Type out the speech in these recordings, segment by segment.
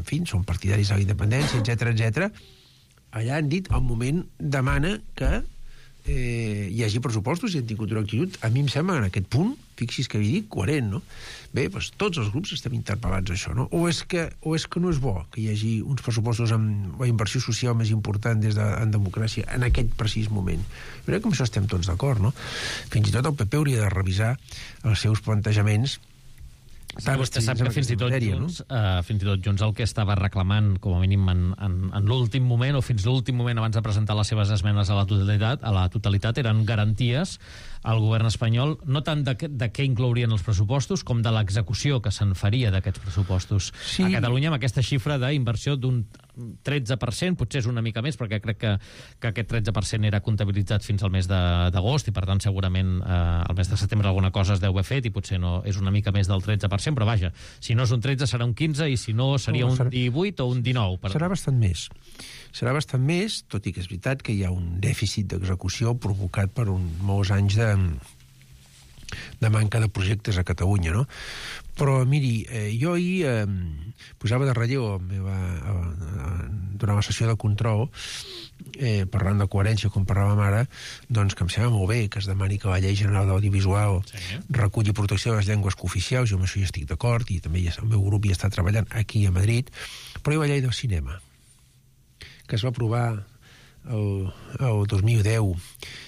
fi, són partidaris de la independència, etc. Allà han dit, al moment demana que hi hagi pressupostos i han tingut una actitud, a mi em sembla, en aquest punt, fixi's que havia dit, coherent, no? Bé, doncs tots els grups estem interpel·lats a això, no? O és que no és bo que hi hagi uns pressupostos amb la inversió social més important en democràcia en aquest precís moment. Jo crec que amb això estem tots d'acord, no? Fins i tot el PP hauria de revisar els seus plantejaments. Vostè sap que fins i tot Junts el que estava reclamant com a mínim en l'últim moment o fins l'últim moment abans de presentar les seves esmenes a la totalitat eren garanties al govern espanyol, no tant de què inclourien els pressupostos com de l'execució que se'n faria d'aquests pressupostos. Sí. A Catalunya amb aquesta xifra d'inversió d'un 13%, potser és una mica més perquè crec que aquest 13% era comptabilitzat fins al mes d'agost i per tant segurament al mes de setembre alguna cosa es deu haver fet i potser no és una mica més del 13%, però vaja, si no és un 13 serà un 15 i si no seria un 18 o un 19. Serà bastant més. Serà bastant més, tot i que és veritat que hi ha un dèficit d'execució provocat per molts anys de manca de projectes a Catalunya, no? Però, miri, jo ahir posava de relleu durant la sessió de control, parlant de coherència, com parlàvem ara, doncs que em sembla molt bé que es demani que la Llei General de l'Audiovisual reculli protecció de les llengües cooficials, jo amb això hi estic d'acord, i també el meu grup hi està treballant aquí a Madrid, però hi ha la Llei del Cinema, que es va aprovar el 2010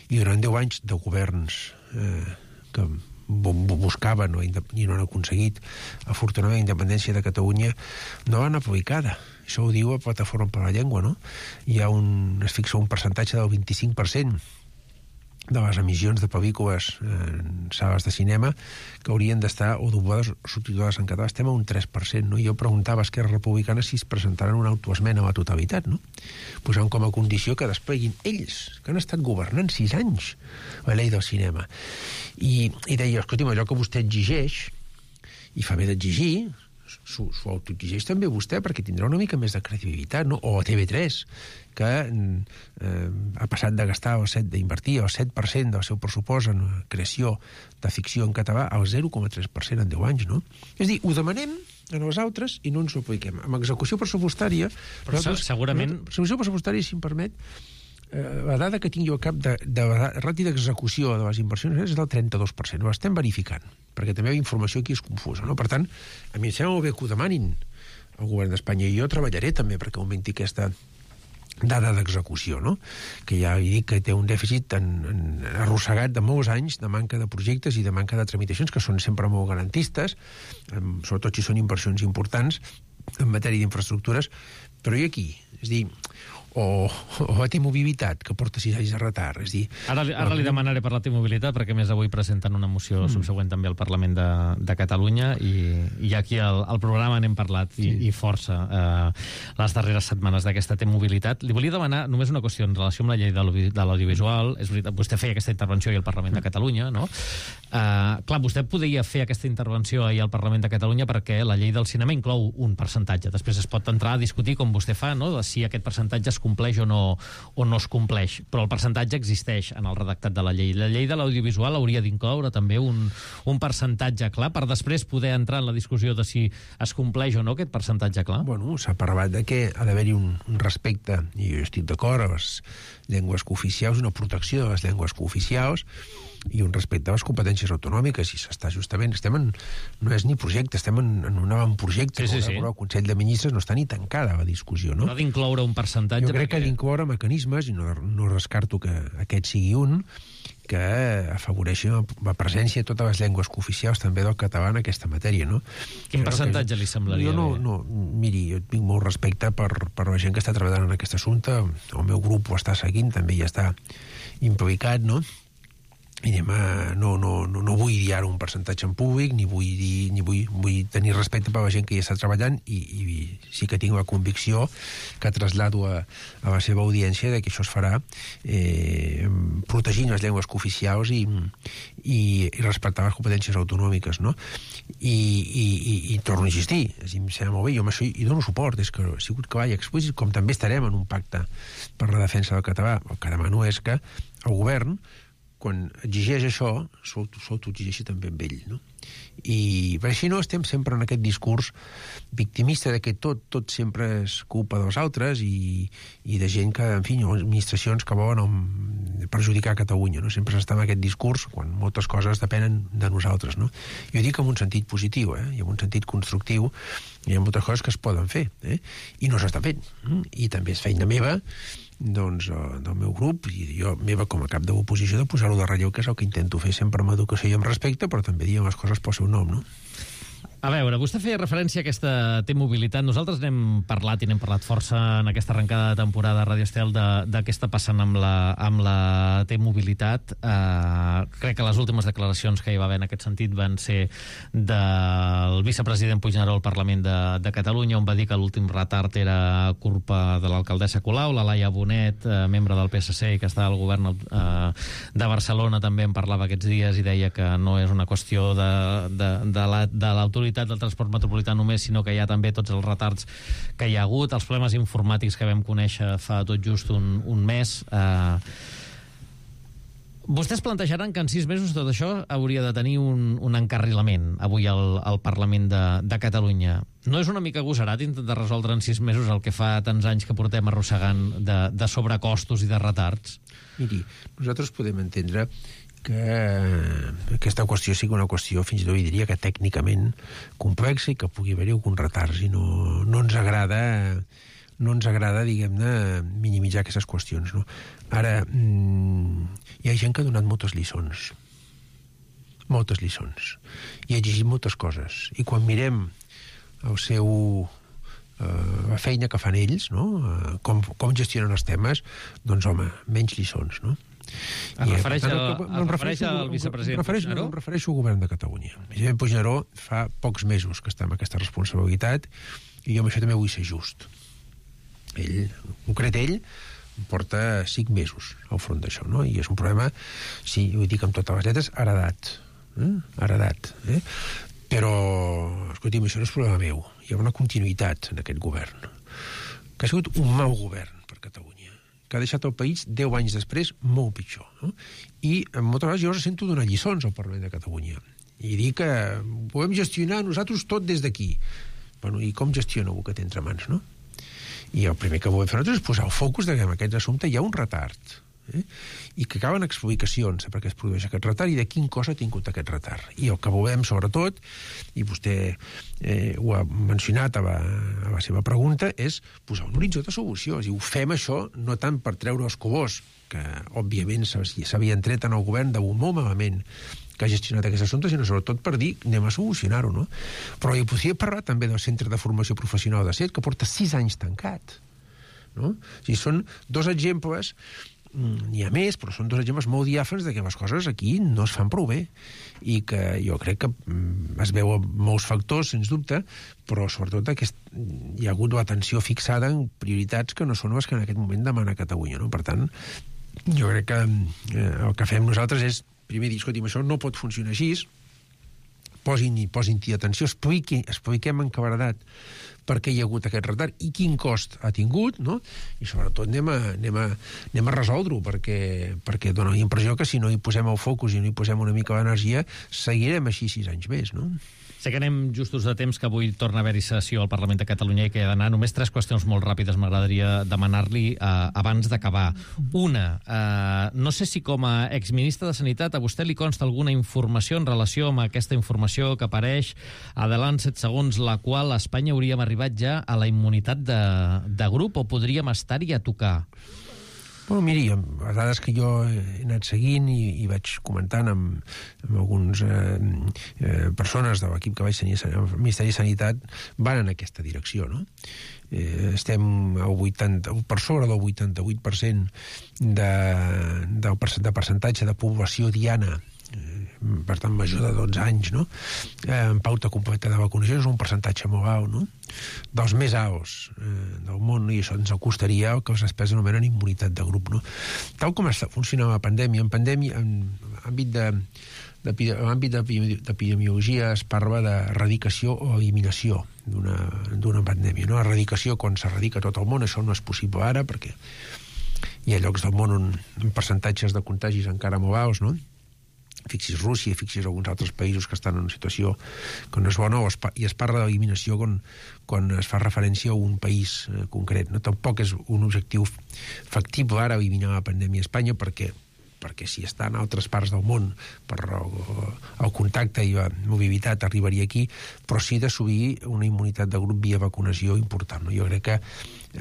i durant 10 anys de governs que buscaven i no han aconseguit afortunadament la independència de Catalunya, no l'han aplicada. Això ho diu a Plataforma per la Llengua, no? Es fixa un percentatge del 25% de les emissions de pel·lícules en sales de cinema que haurien d'estar o doblades o subtitulades en català. Estem a un 3%, no? Jo preguntava a Esquerra Republicana si es presentaran una autoesmena a la totalitat, no? Posant com a condició que despleguin ells, que han estat governant 6 anys la llei del cinema. I deia, escolti'm, allò que vostè exigeix, i fa bé d'exigir, s'ho autoexigeix també vostè perquè tindrà una mica més de credibilitat, no? O a TV3, que ha passat de gastar d'invertir el 7% del seu pressupost en creació de ficció en català al 0,3% en 10 anys, no? És a dir, ho demanem a els altres i no ens ho apliquem. Amb execució pressupostària... Però segurament... Execució pressupostària, si em permet, la dada que tinc jo al cap de la ràtio d'execució de les inversions és del 32%. Ho estem verificant, perquè també la informació aquí és confusa, no? Per tant, a mi em sembla molt bé que ho demanin al govern d'Espanya i jo treballaré també perquè augmenti aquesta dada d'execució, no? Que ja he dit que té un dèficit arrossegat de molts anys de manca de projectes i de manca de tramitacions que són sempre molt garantistes, sobretot si són inversions importants en matèria d'infraestructures, però i aquí? És a dir, o la T-Mobilitat, que porta 6 anys de retard. És dir, ara li demanaré per la T-Mobilitat, perquè més avui presenten una moció subsegüent també al Parlament de Catalunya i aquí al programa n'hem parlat i força les darreres setmanes d'aquesta T-Mobilitat. Li volia demanar només una qüestió en relació amb la llei de l'audiovisual. És veritat, vostè feia aquesta intervenció ahir al Parlament de Catalunya, no? Clar, vostè podria fer aquesta intervenció ahir al Parlament de Catalunya perquè la llei del cinema inclou un percentatge. Després es pot entrar a discutir, com vostè fa, no? De si aquest percentatge es compleix o no es compleix, però el percentatge existeix en el redactat de la llei. La llei de l'audiovisual hauria d'incloure també un percentatge clar per després poder entrar en la discussió de si es compleix o no aquest percentatge clar. Bueno, s'ha parlat de que ha d'haver-hi un respecte, i jo estic d'acord, a les llengües cooficials, una protecció de les llengües cooficials i un respecte a les competències autonòmiques, i s'està justament, no és ni projecte, estem en un avantprojecte, el Consell de Ministres no està ni tancada la discussió, no? No ha d'incloure un percentatge. Jo crec que ha d'incloure mecanismes, i no descarto que aquest sigui un, que afavoreixi la presència de totes les llengües cooficials també del català en aquesta matèria, no? Quin percentatge li semblaria bé? Miri, jo tinc molt respecte per la gent que està treballant en aquest assumpte, el meu grup ho està seguint, també hi està implicat, no? I no vull dir ara un percentatge en públic, ni vull tenir respecte per la gent que hi està treballant, i sí que tinc la convicció que traslado a la seva audiència de que això es farà protegint les llengües cooficials i respectar les competències autonòmiques, no? I torno a insistir, em sembla molt bé, jo amb això hi dono suport, és que ha sigut clar i explícit, com també estarem en un pacte per la defensa del català. El que demano és que el govern quan exigeix això, s'autoexigeixi també amb ell, no? I per així no estem sempre en aquest discurs victimista de que tot sempre és culpa dels altres i de gent que, en fi, administracions que volen perjudicar Catalunya, no? Sempre s'està en aquest discurs quan moltes coses depenen de nosaltres, no? Jo dic en un sentit positiu, i en un sentit constructiu, hi ha moltes coses que es poden fer, i no s'està fent. I també és feina meva, doncs, del meu grup, i jo meva com a cap de l'oposició, de posar-ho de relleu, que és el que intento fer sempre amb educació i amb respecte, però també dient les coses pel seu nom, no? A veure, vostè feia referència a aquesta T-mobilitat. Nosaltres n'hem parlat força en aquesta arrencada de temporada a Radio Estel de què està passant amb la T-mobilitat. Crec que les últimes declaracions que hi va haver en aquest sentit van ser del vicepresident Puigneró al Parlament de Catalunya, on va dir que l'últim retard era culpa de l'alcaldessa Colau. La Laia Bonet, membre del PSC i que està al govern de Barcelona, també en parlava aquests dies i deia que no és una qüestió de l'autoritat del transport metropolità només, sinó que hi ha també tots els retards que hi ha hagut, els problemes informàtics que vam conèixer fa tot just un mes. Vostès plantejaran que en 6 mesos tot això hauria de tenir un encarrilament avui al Parlament de Catalunya. No és una mica agosarat intentar resoldre en 6 mesos el que fa tants anys que portem arrossegant de sobrecostos i de retards? Miri, nosaltres podem entendre que aquesta qüestió sigui una qüestió, fins i tot diria que tècnicament complexa i que pugui haver-hi algun retards i no ens agrada, diguem-ne, minimitzar aquestes qüestions, no? Ara, hi ha gent que ha donat moltes lliçons, i ha exigit moltes coses, i quan mirem la feina que fan ells, no? Com gestionen els temes, doncs, home, menys lliçons, no? Es refereix al vicepresident Puigneró? Em refereixo al govern de Catalunya. El vicepresident Puigneró fa pocs mesos que està amb aquesta responsabilitat i jo amb això també vull ser just. En concret ell, porta 5 mesos al front d'això, no? I és un problema, sí, ho dic amb totes les lletres, heredat. Però, escolti'm, això no és problema meu. Hi ha una continuïtat en aquest govern, que ha sigut un mal govern per Catalunya, que ha deixat el país 10 anys després molt pitjor, no? I moltes vegades jo sento donar lliçons al Parlament de Catalunya i dir que podem gestionar nosaltres tot des d'aquí. Bueno, i com gestiona algú que té entre mans, no? I el primer que volem fer nosaltres és posar el focus que en aquest assumpte hi ha un retard, i que calen explicacions per què es produeix aquest retard i de quin cos ha tingut aquest retard. I el que volem, sobretot, i vostè ho ha mencionat a la seva pregunta, és posar un horitzó de solució. És a dir, ho fem això no tant per treure els colors, que òbviament s'havien tret en el govern de molt malament que ha gestionat aquest assumpte, sinó sobretot per dir anem a solucionar-ho, no? Però hi podria parlar també del Centre de Formació Professional de CET, que porta 6 anys tancat, no? O sigui, són 2 exemples, n'hi ha més, però són 2 exemples molt diàfans de que les coses aquí no es fan prou bé i que jo crec que es veu molts factors, sens dubte, però sobretot hi ha hagut l'atenció fixada en prioritats que no són les que en aquest moment demana Catalunya, no? Per tant, jo crec que el que fem nosaltres és primer dir, escolti'm, això no pot funcionar així, posin-hi atenció, expliquem en claredat per què hi ha hagut aquest retard i quin cost ha tingut, no? I sobretot anem a resoldre-ho, perquè dona la impressió que si no hi posem el focus i no hi posem una mica d'energia, seguirem així 6 anys més, no? Sé que anem justos de temps, que avui torna a haver-hi sessió al Parlament de Catalunya i que ha d'anar. Només 3 qüestions molt ràpides m'agradaria demanar-li abans d'acabar. Una, no sé si com a exministre de Sanitat a vostè li consta alguna informació en relació amb aquesta informació que apareix a Delant 7 segons, la qual a Espanya hauríem arribat ja a la immunitat de grup, o podríem estar-hi a tocar? Bueno, miri, les dades que jo he anat seguint i vaig comentant amb algunes persones de l'equip que vaig tenir al Ministeri de Sanitat van en aquesta direcció, no? Estem per sobre del 88% de percentatge de població diana, per tant major de 12 anys, no? En pauta completa de vacunació és un percentatge molt alt, no? Dels més alts del món, i això ens acostaria el que els experts anomenen immunitat de grup, no? Tal com està funcionant la pandèmia, en l'àmbit d'epidemiologia es parla d'erradicació o eliminació d'una pandèmia, no? Erradicació, quan s'erradica tot el món, això no és possible ara, perquè hi ha llocs del món on percentatges de contagis encara molt alts, no? Fixis Rússia, fixis alguns altres països que estan en una situació que no és bona, i es parla d'eliminació quan es fa referència a un país concret, no? Tampoc és un objectiu factible ara eliminar la pandèmia a Espanya, perquè si està en altres parts del món per el contacte i la mobilitat arribaria aquí, però sí d'assolir una immunitat de grup via vacunació important, no? Jo crec que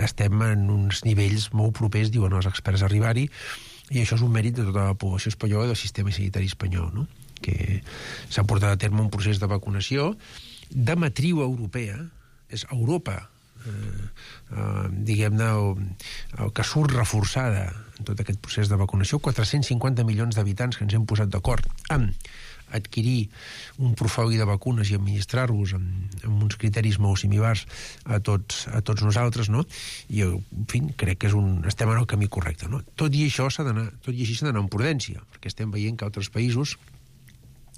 estem en uns nivells molt propers, diuen els experts, a arribar-hi, i això és un mèrit de tota la població espanyola i del sistema sanitari espanyol, no? Que s'ha portat a terme un procés de vacunació de matriu europea, és Europa, diguem-ne, el que surt reforçada en tot aquest procés de vacunació, 450 milions d'habitants que ens hem posat d'acord amb adquirir un portfoli de vacunes i administrar-los amb uns criteris molt similars a tots nosaltres, no? I, en fi, crec que estem en el camí correcte, no? Tot i així s'ha d'anar amb prudència, perquè estem veient que altres països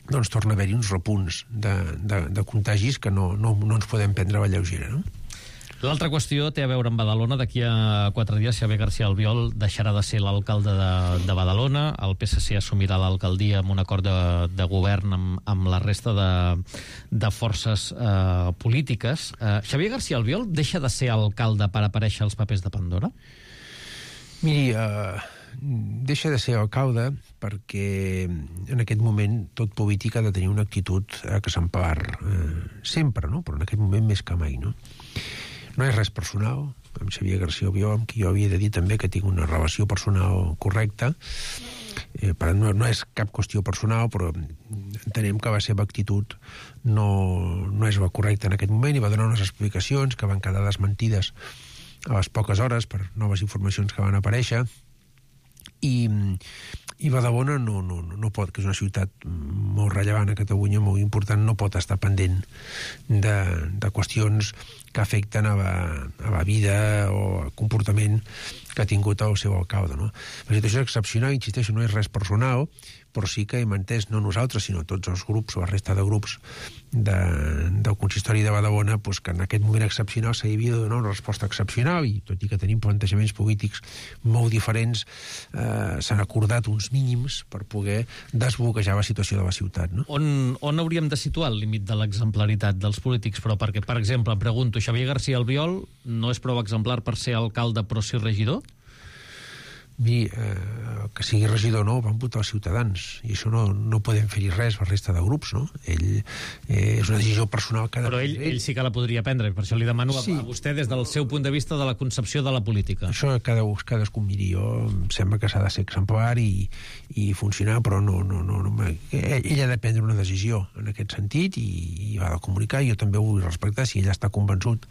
doncs torna a haver-hi uns repunts de contagis que no ens podem prendre a la lleugera, no? L'altra qüestió té a veure amb Badalona. D'aquí a 4 dies Xavier García Albiol deixarà de ser l'alcalde de Badalona. El PSC assumirà l'alcaldia amb un acord de govern amb la resta de forces polítiques. Xavier García Albiol deixa de ser alcalde per aparèixer als papers de Pandora? Miri, deixa de ser alcalde perquè en aquest moment tot polític ha de tenir una actitud que s'empar sempre, no? Però en aquest moment més que mai, no? No és res personal, amb Xavier García Albiol, amb qui jo havia de dir també que tinc una relació personal correcta. No és cap qüestió personal, però entenem que la seva actitud no és la correcta en aquest moment i va donar unes explicacions que van quedar desmentides a les poques hores per noves informacions que van aparèixer. I Badalona no pot, que és una ciutat molt rellevant a Catalunya, molt important, no pot estar pendent de qüestions que afecten a la vida o al comportament que ha tingut el seu alcalde, no? La situació és excepcional, insisteixo, no és res personal, però sí que hem entès, no nosaltres, sinó tots els grups o la resta de grups del consistori de Badalona, doncs que en aquest moment excepcional s'havia de donar una resposta excepcional, i tot i que tenim plantejaments polítics molt diferents, s'han acordat uns mínims per poder desbloquejar la situació de la ciutat, no? On hauríem de situar el límit de l'exemplaritat dels polítics? Però perquè, per exemple, pregunto, Xavier García Albiol no és prou exemplar per ser alcalde però sí regidor? Que sigui regidor o no, van votar els ciutadans, i això no podem fer-hi res la resta de grups, no? Ell és una decisió personal que... Però ell sí que la podria prendre, per això li demano a vostè des del seu punt de vista de la concepció de la política. Això cadascú miri. Jo em sembla que s'ha de ser exemplar i funcionar, però ell ha de prendre una decisió en aquest sentit i va de comunicar, i jo també ho vull respectar. Si ell està convençut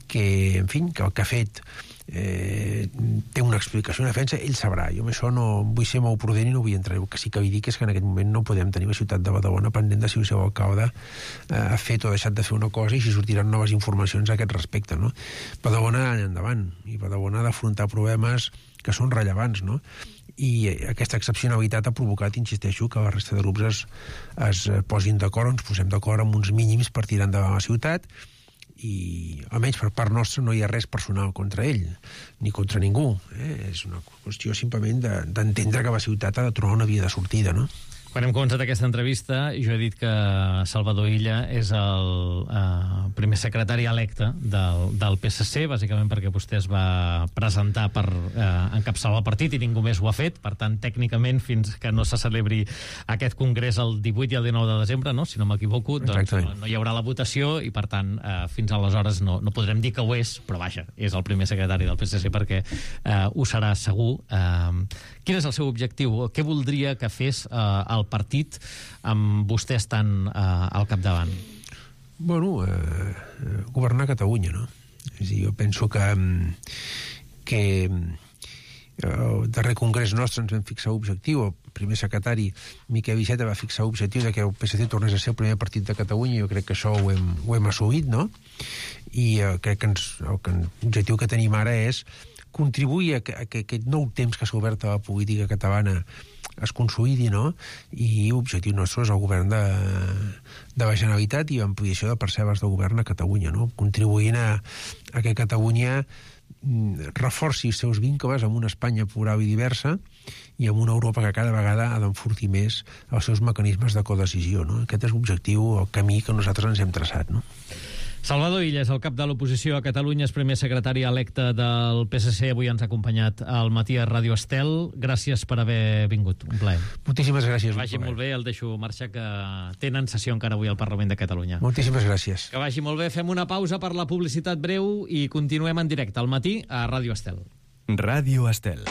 que, en fi, que el que ha fet té una explicació, una defensa, ell sabrà. Jo amb això no vull ser molt prudent i no vull entrar. El que sí que vull dir és que en aquest moment no podem tenir la ciutat de Badalona pendent de si el seu alcalde ha fet o ha deixat de fer una cosa i si sortiran noves informacions a aquest respecte, no? Badalona ha d'anar endavant, i Badalona ha d'afrontar problemes que són rellevants, no? I aquesta excepcionalitat ha provocat, insisteixo, que la resta de grups es posin d'acord, ens posem d'acord amb uns mínims per tirar endavant la ciutat, i almenys per part nostra no hi ha res personal contra ell ni contra ningú, és una qüestió simplement d'entendre que la ciutat ha de trobar una via de sortida, no? Quan hem començat aquesta entrevista, jo he dit que Salvador Illa és el primer secretari electe del PSC, bàsicament perquè vostè es va presentar per encapçalar el partit i ningú més ho ha fet. Per tant, tècnicament, fins que no se celebri aquest congrés el 18 i el 19 de desembre, no? Si no m'equivoco, doncs no hi haurà la votació i, per tant, fins aleshores no podrem dir que ho és, però vaja, és el primer secretari del PSC perquè ho serà segur. Quin és el seu objectiu? Què voldria que fes el partit amb vostè estant al capdavant? Bueno, governar Catalunya, no? És a dir, jo penso que el darrer congrés nostre ens vam fixar l'objectiu, el primer secretari Miquel Iceta va fixar l'objectiu de que el PSC tornés a ser el primer partit de Catalunya, i jo crec que això ho hem assolit, no? I crec que l'objectiu que tenim ara és contribuir a que aquest nou temps que s'ha obert a la política catalana es consolidi, no? I l'objectiu nostre és el govern de la Generalitat i l'ampliació de parcel·les de govern a Catalunya, no? Contribuint a que Catalunya reforci els seus vincles amb una Espanya plural i diversa i amb una Europa que cada vegada ha d'enfortir més els seus mecanismes de codecisió, no? Aquest és l'objectiu, el camí que nosaltres ens hem traçat, no? Salvador Illas, el cap de l'oposició a Catalunya, és primer secretari electe del PSC, avui ens ha acompanyat al matí a Ràdio Estel. Gràcies per haver vingut, un plaer. Moltíssimes gràcies. Que vagi molt bé, el deixo marxar, que tenen sessió encara avui al Parlament de Catalunya. Moltíssimes gràcies. Que vagi molt bé, fem una pausa per la publicitat breu i continuem en directe al matí a Ràdio Estel. Ràdio Estel.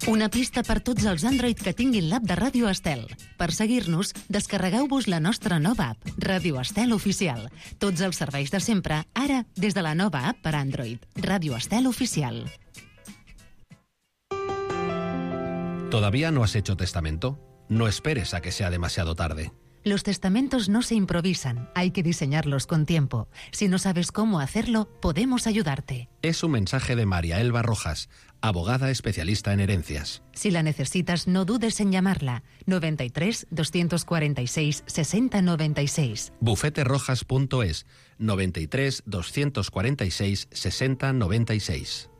Una pista per tots els Android que tinguin l'app de Ràdio Estel. Per seguir-nos, descarregueu-vos la nostra nova app, Ràdio Estel Oficial. Tots els serveis de sempre, ara des de la nova app per Android, Ràdio Estel Oficial. ¿Todavía no has hecho testamento? No esperes a que sea demasiado tarde. Los testamentos no se improvisan, hay que diseñarlos con tiempo. Si no sabes cómo hacerlo, podemos ayudarte. Es un mensaje de María Elba Rojas, abogada especialista en herencias. Si la necesitas, no dudes en llamarla. 93 246 6096. Bufeterojas.es 93 246 6096.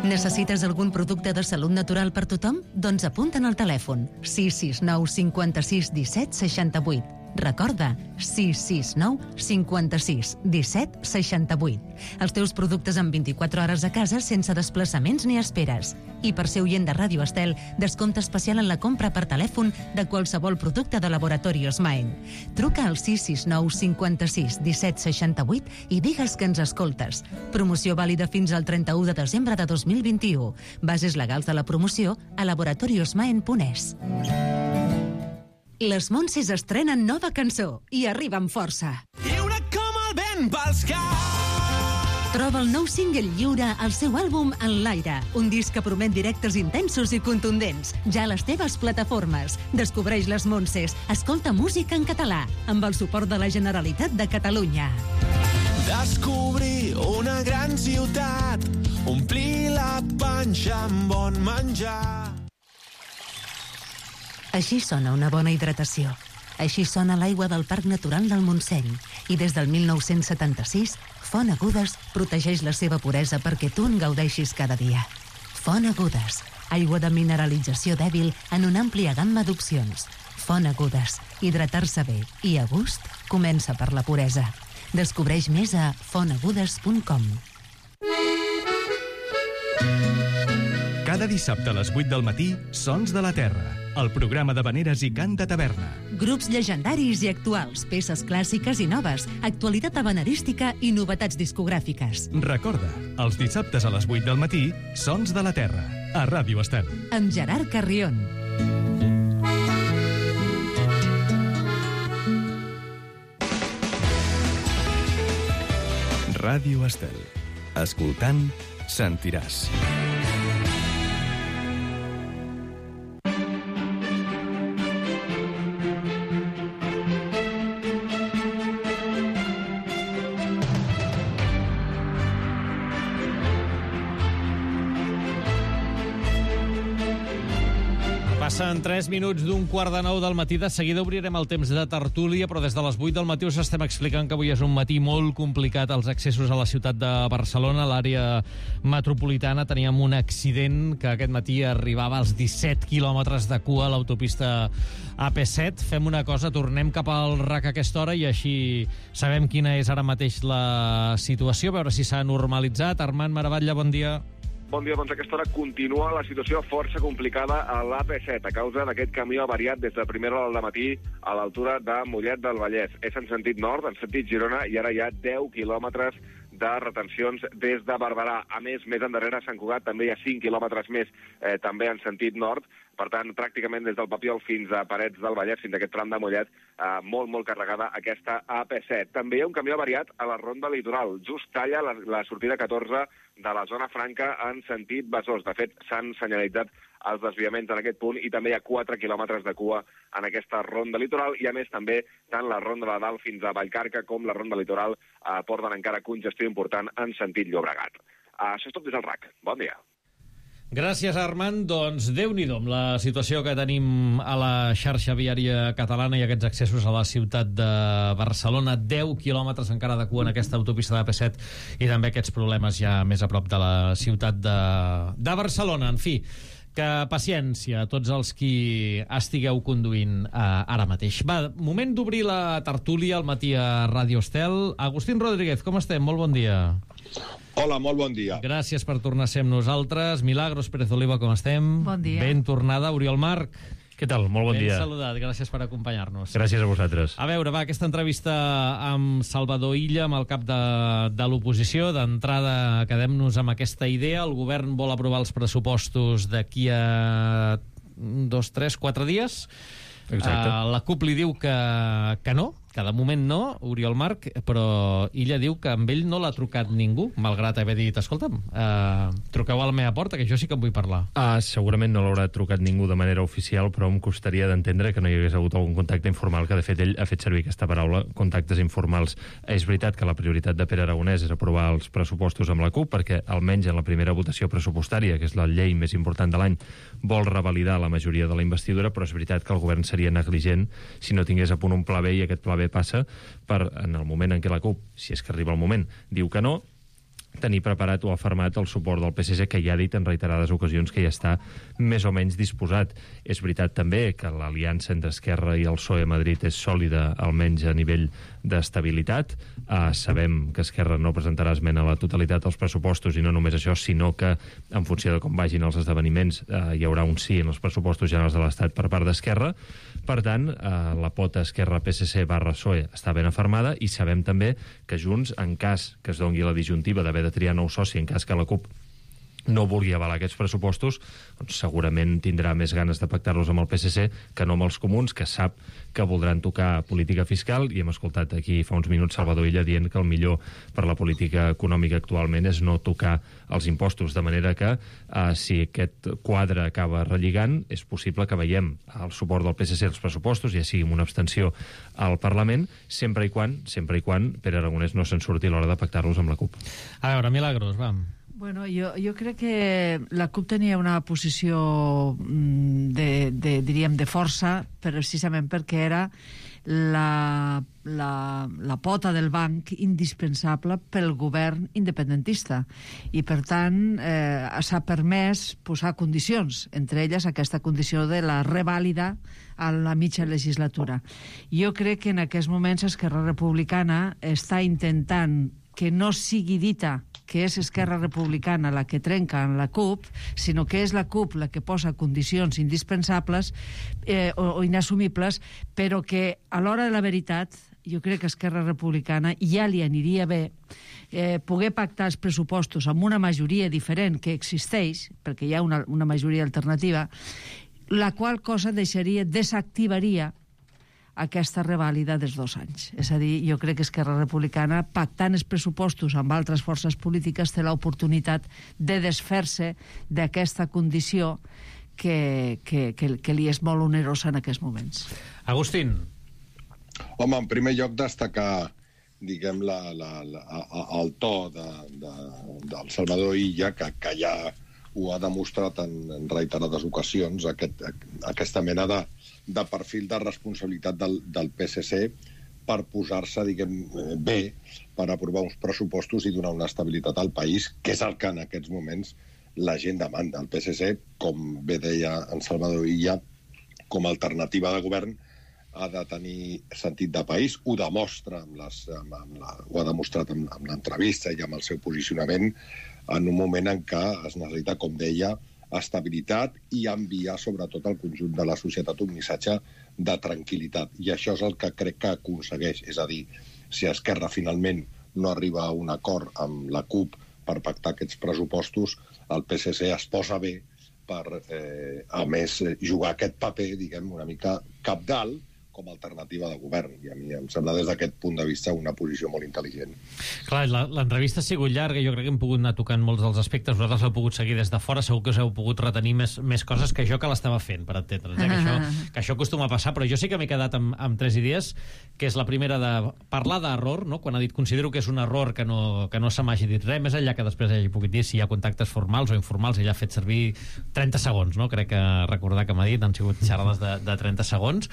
Necessites algun producte de salut natural per tothom? Doncs apunta'n al telèfon 669 56 17 68. Recorda, 669 56 17 68. Els teus productes en 24 hores a casa sense desplaçaments ni esperes. I per ser oient de Ràdio Estel, descompte especial en la compra per telèfon de qualsevol producte de Laboratorios Maen. Truca al 669 56 17 68 i digues que ens escoltes. Promoció vàlida fins al 31 de desembre de 2021. Bases legals de la promoció a laboratoriosmaen.es. Les Montses estrenen nova cançó i arriba amb força. Lliure com el vent pels caps. Troba el nou single Lliure al seu àlbum En l'aire, un disc que promet directes intensos i contundents, ja a les teves plataformes. Descobreix les Montses, escolta música en català, amb el suport de la Generalitat de Catalunya. Descobrir una gran ciutat, omplir la panxa amb bon menjar. Així sona una bona hidratació. Així sona l'aigua del Parc Natural del Montseny. I des del 1976, Font Agudes protegeix la seva puresa perquè tu en gaudeixis cada dia. Font Agudes, aigua de mineralització dèbil en una àmplia gamma d'opcions. Font Agudes, hidratar-se bé i a gust comença per la puresa. Descobreix més a fontagudes.com. Cada dissabte a les 8 del matí, Sons de la Terra, el programa d'havaneres i cant de taverna. Grups llegendaris i actuals, peces clàssiques i noves, actualitat havanerística i novetats discogràfiques. Recorda, els dissabtes a les 8 del matí, Sons de la Terra, a Ràdio Estel. Amb Gerard Carrion. Ràdio Estel. Escoltant, sentiràs. Passen 3 minuts d'un quart de 9 del matí. De seguida obrirem el temps de tertúlia, però des de les 8 del matí us estem explicant que avui és un matí molt complicat als accessos a la ciutat de Barcelona. A l'àrea metropolitana teníem un accident que aquest matí arribava als 17 quilòmetres de cua a l'autopista AP7. Fem una cosa, tornem cap al RAC a aquesta hora i així sabem quina és ara mateix la situació, a veure si s'ha normalitzat. Armand Maravalla, bon dia. Bon dia, doncs a aquesta hora continua la situació força complicada a l'AP7 a causa d'aquest camió avariat des de primera hora del matí a l'altura de Mollet del Vallès. És en sentit nord, en sentit Girona, i ara hi ha 10 quilòmetres de retencions des de Barberà. A més endarrere a Sant Cugat també hi ha 5 quilòmetres més, també en sentit nord. Per tant, pràcticament des del Papiol fins a Parets del Vallès, fins a aquest tram de Mollet, molt carregada aquesta AP7. També hi ha un camió avariat a la Ronda Litoral. Just talla la sortida 14 de la zona franca en sentit Besòs. De fet, s'han senyalitzat els desviaments en aquest punt i també hi ha 4 quilòmetres de cua en aquesta ronda litoral i, a més, també tant la ronda de Dalt fins a Vallcarca com la ronda litoral porten encara congestió important en sentit Llobregat. Això és tot des del RAC. Bon dia. Gràcies, Armand. Doncs Déu-n'hi-do amb la situació que tenim a la xarxa viària catalana i aquests accessos a la ciutat de Barcelona. 10 quilòmetres encara de cua en aquesta autopista de P7 i també aquests problemes ja més a prop de la ciutat de Barcelona. En fi, que paciència a tots els qui estigueu conduint ara mateix. Va, moment d'obrir la tertúlia al matí a Ràdio Estel. Agustín Rodríguez, com estem? Molt bon dia. Hola, molt bon dia. Gràcies per tornar a ser amb nosaltres. Milagros Pérez Oliva, com estem? Bon dia. Ben tornada. Oriol Marc. Què tal? Molt bon dia. Ben saludat. Gràcies per acompanyar-nos. Gràcies a vosaltres. A veure, va, aquesta entrevista amb Salvador Illa, amb el cap de l'oposició. D'entrada, quedem-nos amb aquesta idea. El govern vol aprovar els pressupostos d'aquí a 2, 3, 4 dies. Exacte. La CUP li diu que no, que de moment no, Oriol Marc, però Illa diu que amb ell no l'ha trucat ningú, malgrat haver dit, escolta'm, truqueu a la meva porta, que jo sí que en vull parlar. Segurament no l'haurà trucat ningú de manera oficial, però em costaria d'entendre que no hi hagués hagut algun contacte informal, que de fet ell ha fet servir aquesta paraula, contactes informals. És veritat que la prioritat de Pere Aragonès és aprovar els pressupostos amb la CUP, perquè almenys en la primera votació pressupostària, que és la llei més important de l'any, vol revalidar la majoria de la investidura, però és veritat que el govern seria negligent si no tingués a punt un pla B, i aquest pla B passa per, en el moment en què la CUP, si és que arriba el moment, diu que no, tenir preparat o afermat el suport del PSC, que ja ha dit en reiterades ocasions que ja està més o menys disposat. És veritat també que l'aliança entre Esquerra i el PSOE a Madrid és sòlida, almenys a nivell d'estabilitat. Sabem que Esquerra no presentarà esmena a la totalitat als pressupostos, i no només això, sinó que en funció de com vagin els esdeveniments hi haurà un sí en els pressupostos generals de l'Estat per part d'Esquerra. Per tant, la pota Esquerra-PSC/PSOE està ben afermada, i sabem també que Junts, en cas que es doni la disjuntiva d'haver de triar nou soci, en cas que la CUP no vulgui avalar aquests pressupostos, doncs segurament tindrà més ganes de pactar-los amb el PSC que no amb els comuns, que sap que voldran tocar política fiscal, i hem escoltat aquí fa uns minuts Salvador Illa dient que el millor per la política econòmica actualment és no tocar els impostos, de manera que si aquest quadre acaba relligant, és possible que veiem el suport del PSC als pressupostos, ja sigui amb una abstenció al Parlament, sempre i quan Pere Aragonès no se'n surti a l'hora de pactar-los amb la CUP. A veure, Milagros, vam. Bueno, jo crec que la CUP tenia una posició diríem, de força, precisament perquè era la pota del banc indispensable pel govern independentista, i per tant s'ha permès posar condicions, entre elles aquesta condició de la revàlida a la mitja legislatura. Jo crec que en aquests moments Esquerra Republicana està intentant que no sigui dita que és Esquerra Republicana la que trenca en la CUP, sinó que és la CUP la que posa condicions indispensables o inassumibles, però que a l'hora de la veritat jo crec que Esquerra Republicana ja li aniria bé poder pactar els pressupostos amb una majoria diferent que existeix, perquè hi ha una majoria alternativa, la qual cosa desactivaria aquesta revàlida dels 2 anys. És a dir, jo crec que Esquerra Republicana, pactant els pressupostos amb altres forces polítiques, té l'oportunitat de desfer-se d'aquesta condició que li és molt onerosa en aquests moments. Agustín. Home, en primer lloc destacar, diguem, el to del Salvador Illa, que ja ho ha demostrat en reiterades ocasions, aquesta mena de perfil de responsabilitat del PSC per posar-se, diguem, bé per aprovar uns pressupostos i donar una estabilitat al país, que és el que en aquests moments la gent demanda. El PSC, com bé deia en Salvador Illa, com a alternativa de govern, ha de tenir sentit de país, ho demostra ho ha demostrat amb l'entrevista i amb el seu posicionament en un moment en què es necessita, com deia, estabilitat i enviar sobretot al conjunt de la societat un missatge de tranquil·litat. I això és el que crec que aconsegueix. És a dir, si Esquerra finalment no arriba a un acord amb la CUP per pactar aquests pressupostos, el PSC es posa bé per, a més, jugar aquest paper, diguem, una mica cabdal, com a alternativa de govern. I a mi em sembla des d'aquest punt de vista una posició molt intel·ligent. Clar, l'entrevista ha sigut llarga, jo crec que hem pogut anar tocant molts dels aspectes, vosaltres l'heu pogut seguir des de fora, segur que us heu pogut retenir més coses que jo que l'estava fent, per entendre'ns, que això acostuma a passar, però jo sí que m'he quedat amb 3 idees, que és la primera de parlar d'error, no? Quan ha dit considero que és un error que no se m'hagi dit res, més enllà que després hagi pogut dir si hi ha contactes formals o informals, ella ha fet servir 30 segons, no? Crec que recordar que m'ha dit, han sigut xerrades de 30 segons,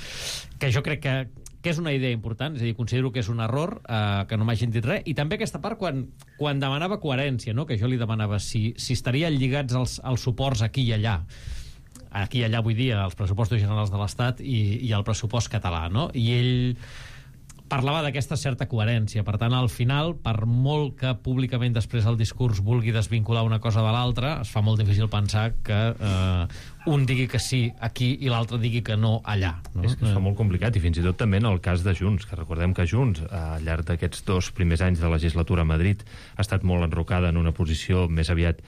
que jo crec que és una idea important, és a dir, considero que és un error que no m'hagin dit res, i també aquesta part quan demanava coherència, no? Que jo li demanava si estarien lligats els suports aquí i allà vull dir, als pressupostos generals de l'Estat i al pressupost català, no? I ell parlava d'aquesta certa coherència. Per tant, al final, per molt que públicament després el discurs vulgui desvincular una cosa de l'altra, es fa molt difícil pensar que un digui que sí aquí i l'altre digui que no allà. No? És que es fa molt complicat, i fins i tot també en el cas de Junts, que recordem que Junts, al llarg d'aquests 2 primers anys de legislatura a Madrid, ha estat molt enrocada en una posició més aviat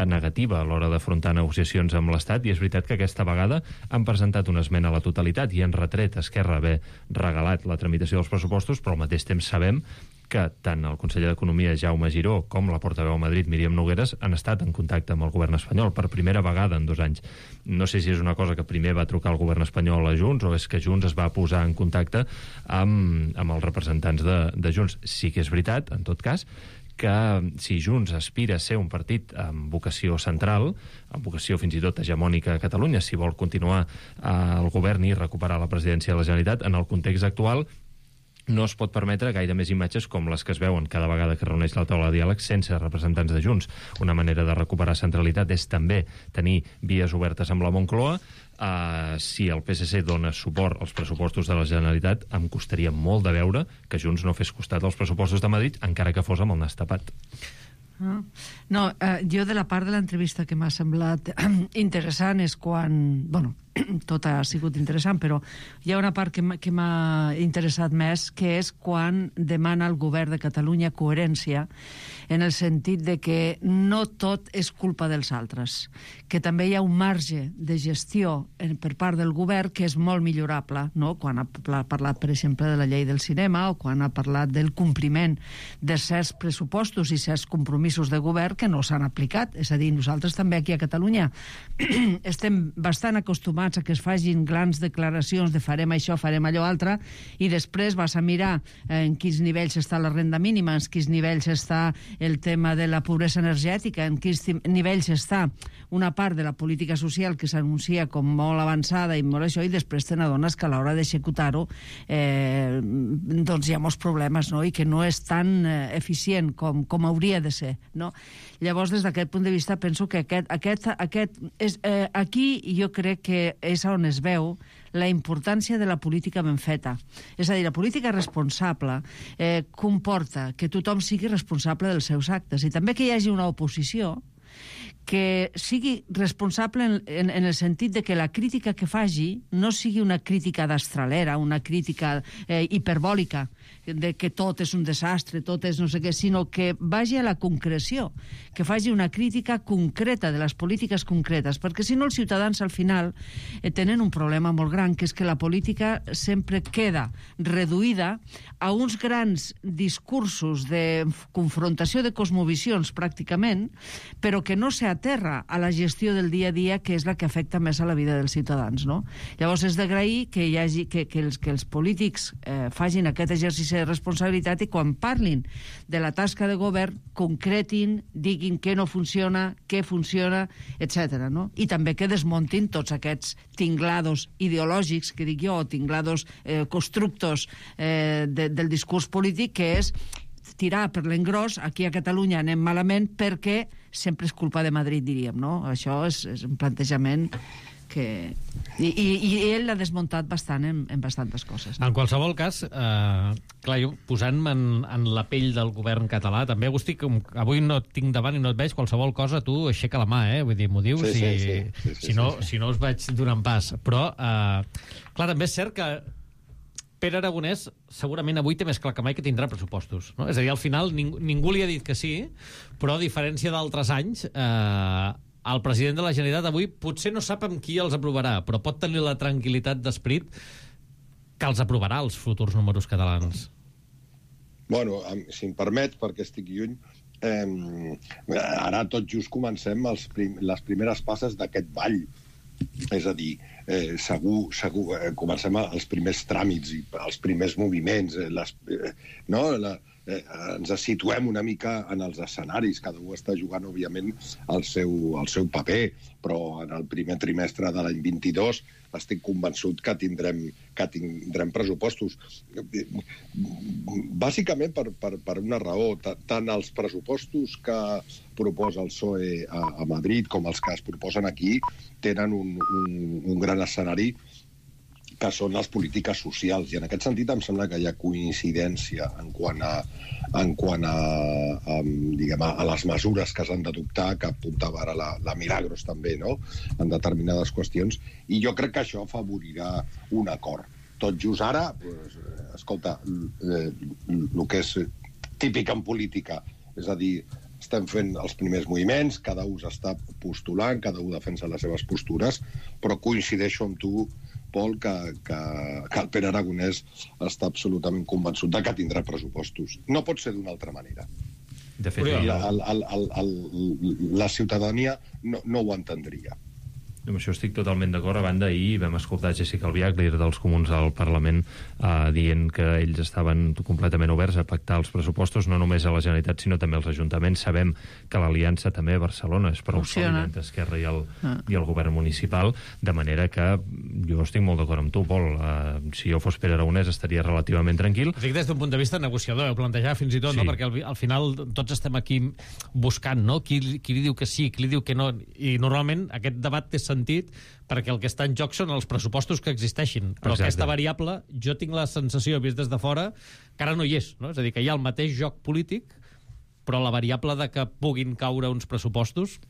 negativa a l'hora d'afrontar negociacions amb l'Estat, i és veritat que aquesta vegada han presentat una esmena a la totalitat i han retret a Esquerra haver regalat la tramitació dels pressupostos, però al mateix temps sabem que tant el conseller d'Economia, Jaume Giró, com la portaveu a Madrid, Míriam Nogueras, han estat en contacte amb el govern espanyol per primera vegada en 2 anys. No sé si és una cosa que primer va trucar el govern espanyol a Junts o és que Junts es va posar en contacte amb els representants de Junts. Sí que és veritat, en tot cas, que si Junts aspira a ser un partit amb vocació central, amb vocació fins i tot hegemònica a Catalunya, si vol continuar al govern i recuperar la presidència de la Generalitat, en el context actual no es pot permetre gaire més imatges com les que es veuen cada vegada que reuneix la taula de diàleg sense representants de Junts. Una manera de recuperar centralitat és també tenir vies obertes amb la Moncloa. Si el PSC dona suport als pressupostos de la Generalitat, em costaria molt de veure que Junts no fes costat als pressupostos de Madrid, encara que fos amb el nas tapat. No, jo de la part de l'entrevista que m'ha semblat interessant és quan... Bueno, tot ha sigut interessant, però hi ha una part que m'ha interessat més, que és quan demana al govern de Catalunya coherència, en el sentit de que no tot és culpa dels altres, que també hi ha un marge de gestió per part del govern que és molt millorable, no? Quan ha parlat, per exemple, de la llei del cinema o quan ha parlat del compliment de certs pressupostos i certs compromisos de govern que no s'han aplicat. És a dir, nosaltres també aquí a Catalunya estem bastant acostumats a que es facin grans declaracions de farem això, farem allò altre, i després vas a mirar en quins nivells està la renda mínima, en quins nivells està el tema de la pobresa energètica, en quins nivells està una part de la política social que s'anuncia com molt avançada i molt això, i després te n'adones que a l'hora d'executar-ho doncs hi ha molts problemes, no? I que no és tan eficient com hauria de ser, no? Llavors, des d'aquest punt de vista, penso que aquí jo crec que és on es veu la importància de la política ben feta. És a dir, la política responsable comporta que tothom sigui responsable dels seus actes i també que hi hagi una oposició que sigui responsable en el sentit de que la crítica que faci no sigui una crítica d'astralera, una crítica hiperbòlica, de que tot és un desastre, tot és no sé què, sinó que vagi a la concreció, que faci una crítica concreta de les polítiques concretes, perquè si no els ciutadans al final tenen un problema molt gran, que és que la política sempre queda reduïda a uns grans discursos de confrontació de cosmovisions pràcticament, però que no s'aterra a la gestió del dia a dia, que és la que afecta més a la vida dels ciutadans, no? Llavors és d'agrair que els polítics facin aquest exercici de responsabilitat i quan parlin de la tasca de govern concretin, diguin què no funciona, què funciona, etc. No? I també que desmuntin tots aquests tinglados ideològics, que dic jo, o tinglados constructos del discurs polític, que és tirar per l'engròs, aquí a Catalunya anem malament perquè sempre és culpa de Madrid, diríem, no? Això és un plantejament que... I ell l'ha desmuntat bastant en bastantes coses. En qualsevol cas, clar, jo posant-me en la pell del govern català, també, Agustí, avui no et tinc davant i no et veig, qualsevol cosa tu aixeca la mà, vull dir, m'ho dius, si no us vaig donant pas. Però, clar, també és cert que Pere Aragonès segurament avui té més clar que mai que tindrà pressupostos, no? És a dir, al final ningú li ha dit que sí, però a diferència d'altres anys, el president de la Generalitat avui potser no sap amb qui els aprovarà, però pot tenir la tranquil·litat d'esperit que els aprovarà els futurs números catalans? Bueno, si em permets, perquè estic lluny, ara tot just comencem les primeres passes d'aquest ball. És a dir, segur comencem els primers tràmits i els primers moviments, ens situem una mica en els escenaris, cada un està jugant, òbviament, el seu paper, però en el primer trimestre de l'any 22 estic convençut que tindrem pressupostos. Bàsicament per una raó, tant els pressupostos que proposa el PSOE a Madrid com els que es proposen aquí tenen un gran escenari que són les polítiques socials, i en aquest sentit em sembla que hi ha coincidència en quant a les mesures que s'han d'adoptar, que apuntava ara la Milagros també, no?, en determinades qüestions, i jo crec que això afavorirà un acord. Tot just ara, escolta, el que és típic en política, és a dir, estem fent els primers moviments, cada un s'està postulant, cada un defensa les seves postures, però coincideixo amb tu, Pol, que el Pere Aragonès està absolutament convençut de que tindrà pressupostos. No pot ser d'una altra manera. De fet, la ciutadania no ho entendria. Amb això estic totalment d'acord. A banda, ahir vam escoltar Jessica Albiach, líder dels Comuns al Parlament, dient que ells estaven completament oberts a pactar els pressupostos, no només a la Generalitat, sinó també als ajuntaments. Sabem que l'aliança també a Barcelona és prou sòlida entre Esquerra i el govern municipal, de manera que jo estic molt d'acord amb tu, Pol. Si jo fos Pere Aragonès estaria relativament tranquil. Dic des d'un punt de vista negociador, plantejar fins i tot, sí, no? Perquè al final tots estem aquí buscant, no? Qui li diu que sí, qui li diu que no, i normalment aquest debat té sentit perquè el que està en joc són els pressupostos que existeixin, però exacte, aquesta variable jo tinc la sensació, vist des de fora, que ara no hi és, no? És a dir, que hi ha el mateix joc polític, però la variable de que puguin caure uns pressupostos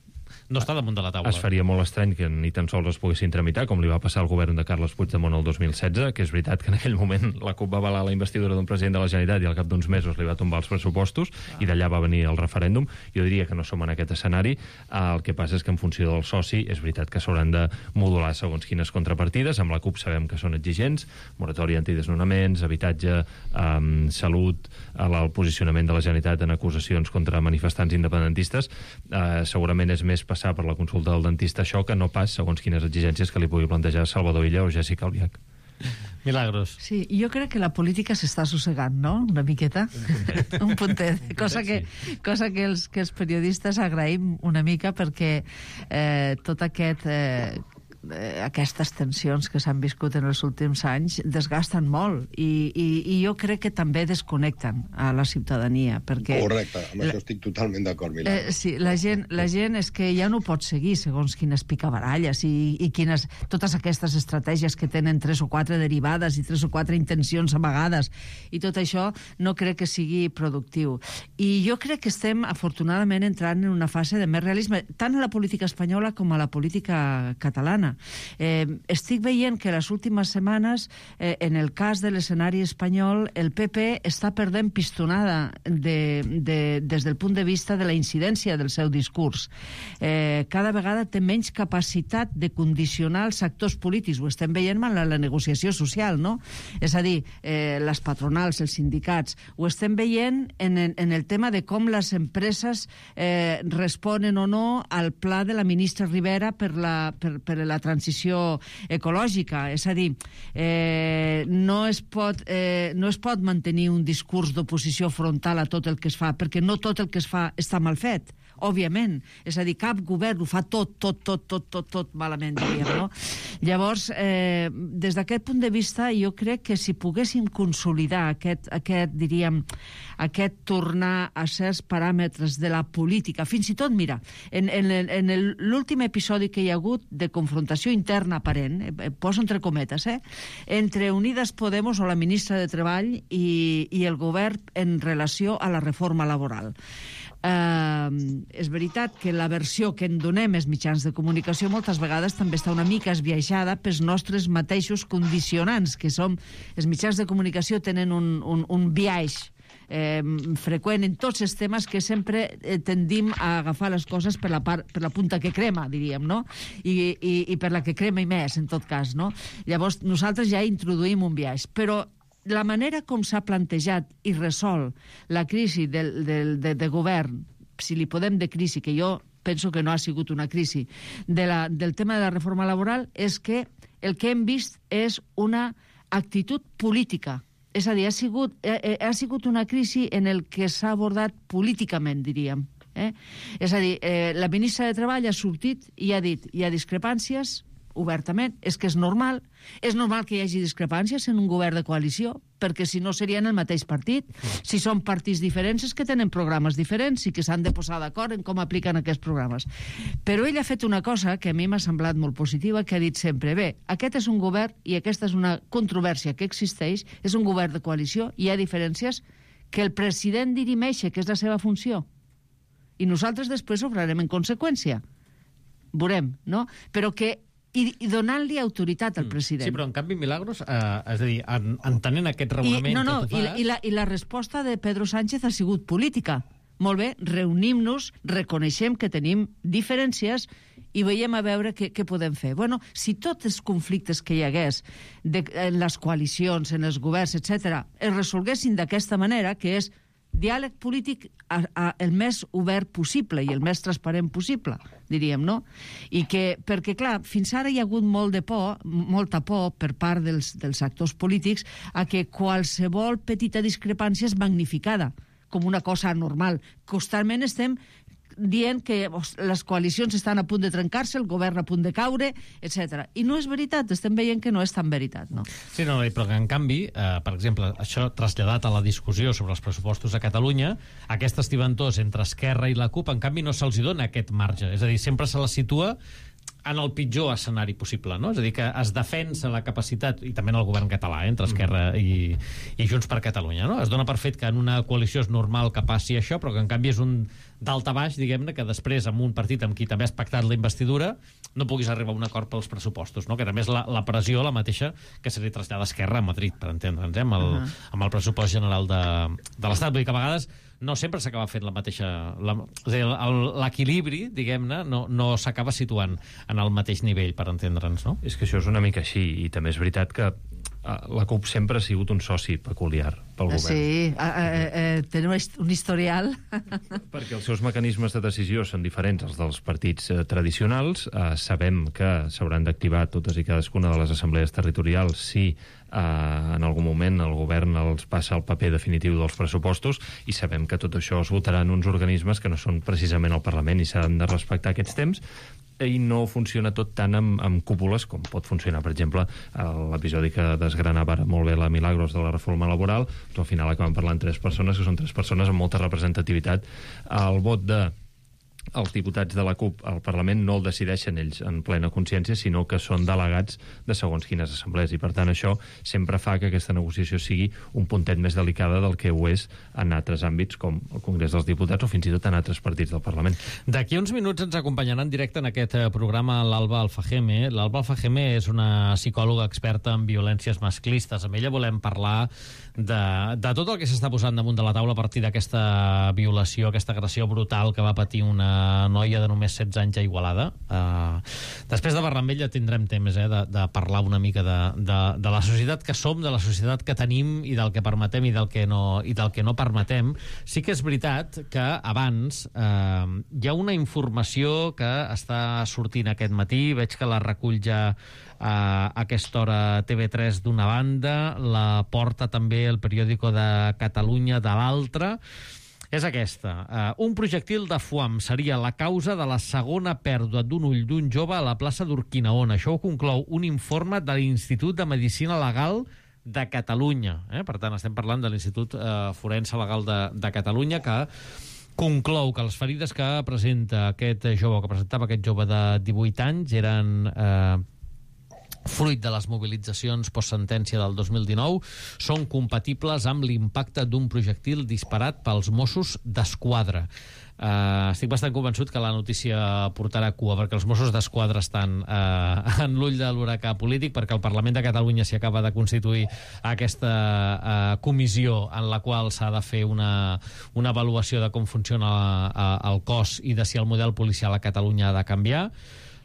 no està damunt de la taula. Es faria molt estrany que ni tan sols es poguessin tramitar, com li va passar al govern de Carles Puigdemont el 2016, que és veritat que en aquell moment la CUP va avalar la investidura d'un president de la Generalitat i al cap d'uns mesos li va tombar els pressupostos i d'allà va venir el referèndum. Jo diria que no som en aquest escenari. El que passa és que en funció del soci és veritat que s'hauran de modular segons quines contrapartides. Amb la CUP sabem que són exigents, moratòria antidesnonaments, habitatge, salut, el posicionament de la Generalitat en acusacions contra manifestants independentistes. Segurament és més passar per la consulta del dentista això que no pas segons quines exigències que li pugui plantejar Salvador Illa o Jessica Albiach. Milagros. Sí, jo crec que la política s'està assossegant, no?, una miqueta. Un puntet. Cosa que els periodistes agraïm una mica perquè tot aquestes tensions que s'han viscut en els últims anys desgasten molt i jo crec que també desconnecten a la ciutadania perquè... Correcte, amb això estic totalment d'acord, Milagros. Sí, la gent és que ja no pot seguir segons quines picabaralles i quines, totes aquestes estratègies que tenen 3 o 4 derivades i 3 o 4 intencions amagades i tot això no crec que sigui productiu. I jo crec que estem afortunadament entrant en una fase de més realisme, tant a la política espanyola com a la política catalana. Estic veient que les últimes setmanes, en el cas de l'escenari espanyol, el PP està perdent pistonada des del punt de vista de la incidència del seu discurs. Cada vegada té menys capacitat de condicionar els actors polítics. Ho estem veient en la negociació social, no? És a dir, les patronals, els sindicats. Ho estem veient en el tema de com les empreses responen o no al pla de la ministra Rivera per la transició ecològica. És a dir, no es pot mantenir un discurs d'oposició frontal a tot el que es fa, perquè no tot el que es fa està mal fet, òbviament. És a dir, cap govern ho fa tot malament, diríem, no? Llavors, des d'aquest punt de vista, jo crec que si poguéssim consolidar aquest tornar a certs paràmetres de la política, fins i tot, mira, en l'últim episodi que hi ha hagut de confrontació interna aparent, poso entre cometes, entre Unidas Podemos o la ministra de Treball i el govern en relació a la reforma laboral. És veritat que la versió que en donem els mitjans de comunicació moltes vegades també està una mica esbiaixada pels nostres mateixos condicionants, que som... Els mitjans de comunicació tenen un biaix freqüent en tots els temes que sempre tendim a agafar les coses per la punta que crema, diríem, no? I per la que crema i més, en tot cas, no? Llavors, nosaltres ja introduïm un biaix, però la manera com s'ha plantejat i resol la crisi de govern, si li podem de crisi, que jo penso que no ha sigut una crisi, del tema de la reforma laboral, és que el que hem vist és una actitud política. És a dir, ha sigut una crisi en el que s'ha abordat políticament, diríem. És a dir, la ministra de Treball ha sortit i ha dit hi ha discrepàncies, obertament, és que és normal que hi hagi discrepàncies en un govern de coalició, perquè si no serien el mateix partit. Si són partits diferents és que tenen programes diferents i que s'han de posar d'acord en com apliquen aquests programes. Però ell ha fet una cosa que a mi m'ha semblat molt positiva, que ha dit sempre, bé, aquest és un govern i aquesta és una controvèrsia que existeix, és un govern de coalició, hi ha diferències que el president dirimeix, que és la seva funció. I nosaltres després obrarem en conseqüència. Veurem, no? Però que i donant-li autoritat al president. Sí, però en canvi, Milagros, és a dir, entenent aquest raonament que tu fas... I la resposta de Pedro Sánchez ha sigut política. Molt bé, reunim-nos, reconeixem que tenim diferències i veiem a veure què podem fer. Bueno, si tots els conflictes que hi hagués en les coalicions, en els governs, etc., es resolguessin d'aquesta manera, que és diàleg polític el més obert possible i el més transparent possible, diríem, no? I que, perquè, clar, fins ara hi ha hagut molta por per part dels actors polítics a que qualsevol petita discrepància és magnificada com una cosa anormal. Constantment estem dient que les coalicions estan a punt de trencar-se, el govern a punt de caure, etc. I no és veritat, estem veient que no és tan veritat, no? Sí, no, però que en canvi, per exemple, això traslladat a la discussió sobre els pressupostos a Catalunya, aquesta estiventós entre Esquerra i la CUP, en canvi no se'ls dona aquest marge. És a dir, sempre se la situa en el pitjor escenari possible, no? És a dir, que es defensa la capacitat, i també en el govern català, entre Esquerra i Junts per Catalunya, no? Es dona per fet que en una coalició és normal que passi això, però que en canvi és un daltabaix, diguem-ne, que després amb un partit amb qui també has pactat la investidura no puguis arribar a un acord pels pressupostos, no? Que també és la pressió la mateixa que se li trasllada a Esquerra a Madrid, per entendre'ns, amb el pressupost general de l'Estat. Vull dir que a vegades no sempre s'acaba fent la mateixa... És a dir, l'equilibri, diguem-ne, no s'acaba situant en el mateix nivell, per entendre'ns, no? És que això és una mica així, i també és veritat que la CUP sempre ha sigut un soci peculiar pel govern. Sí, tenen un historial. Perquè els seus mecanismes de decisió són diferents als dels partits tradicionals. Sabem que s'hauran d'activar totes i cadascuna de les assemblees territorials si en algun moment el govern els passa el paper definitiu dels pressupostos, i sabem que tot això es votarà en uns organismes que no són precisament el Parlament i s'han de respectar aquests temps, i no funciona tot tant amb cúpules com pot funcionar, per exemple, l'episodi que desgranava molt bé la Milagros de la reforma laboral, però al final acaben parlant 3 persones, que són 3 persones amb molta representativitat. El vot els diputats de la CUP al Parlament no el decideixen ells en plena consciència, sinó que són delegats de segons quines assemblees, i per tant això sempre fa que aquesta negociació sigui un puntet més delicada del que ho és en altres àmbits com el Congrés dels Diputats o fins i tot en altres partits del Parlament. D'aquí uns minuts ens acompanyarà en directe en aquest programa l'Alba Alfajeme. L'Alba Alfajeme és una psicòloga experta en violències masclistes. Amb ella volem parlar de tot el que s'està posant damunt de la taula a partir d'aquesta violació, aquesta agressió brutal que va patir una noia de només 16 anys a Igualada. Després de parlar amb ella tindrem temps de parlar una mica de la societat que som, de la societat que tenim i del que permetem i del que no permetem. Sí que és veritat que abans hi ha una informació que està sortint aquest matí, veig que la recull ja a aquesta hora TV3 d'una banda, la porta també el periòdico de Catalunya de l'altra. És aquesta. Un projectil de foam seria la causa de la segona pèrdua d'un ull d'un jove a la plaça d'Urquinaona. Això ho conclou un informe de l'Institut de Medicina Legal de Catalunya. Per tant, estem parlant de l'Institut Forense Legal de Catalunya, que conclou que les ferides que presenta aquest jove, que presentava aquest jove de 18 anys, eren fruit de les mobilitzacions postsentència del 2019, són compatibles amb l'impacte d'un projectil disparat pels Mossos d'Esquadra. Estic bastant convençut que la notícia portarà cua, perquè els Mossos d'Esquadra estan en l'ull de l'huracà polític, perquè el Parlament de Catalunya s'hi acaba de constituir aquesta comissió en la qual s'ha de fer una avaluació de com funciona el cos i de si el model policial a Catalunya ha de canviar.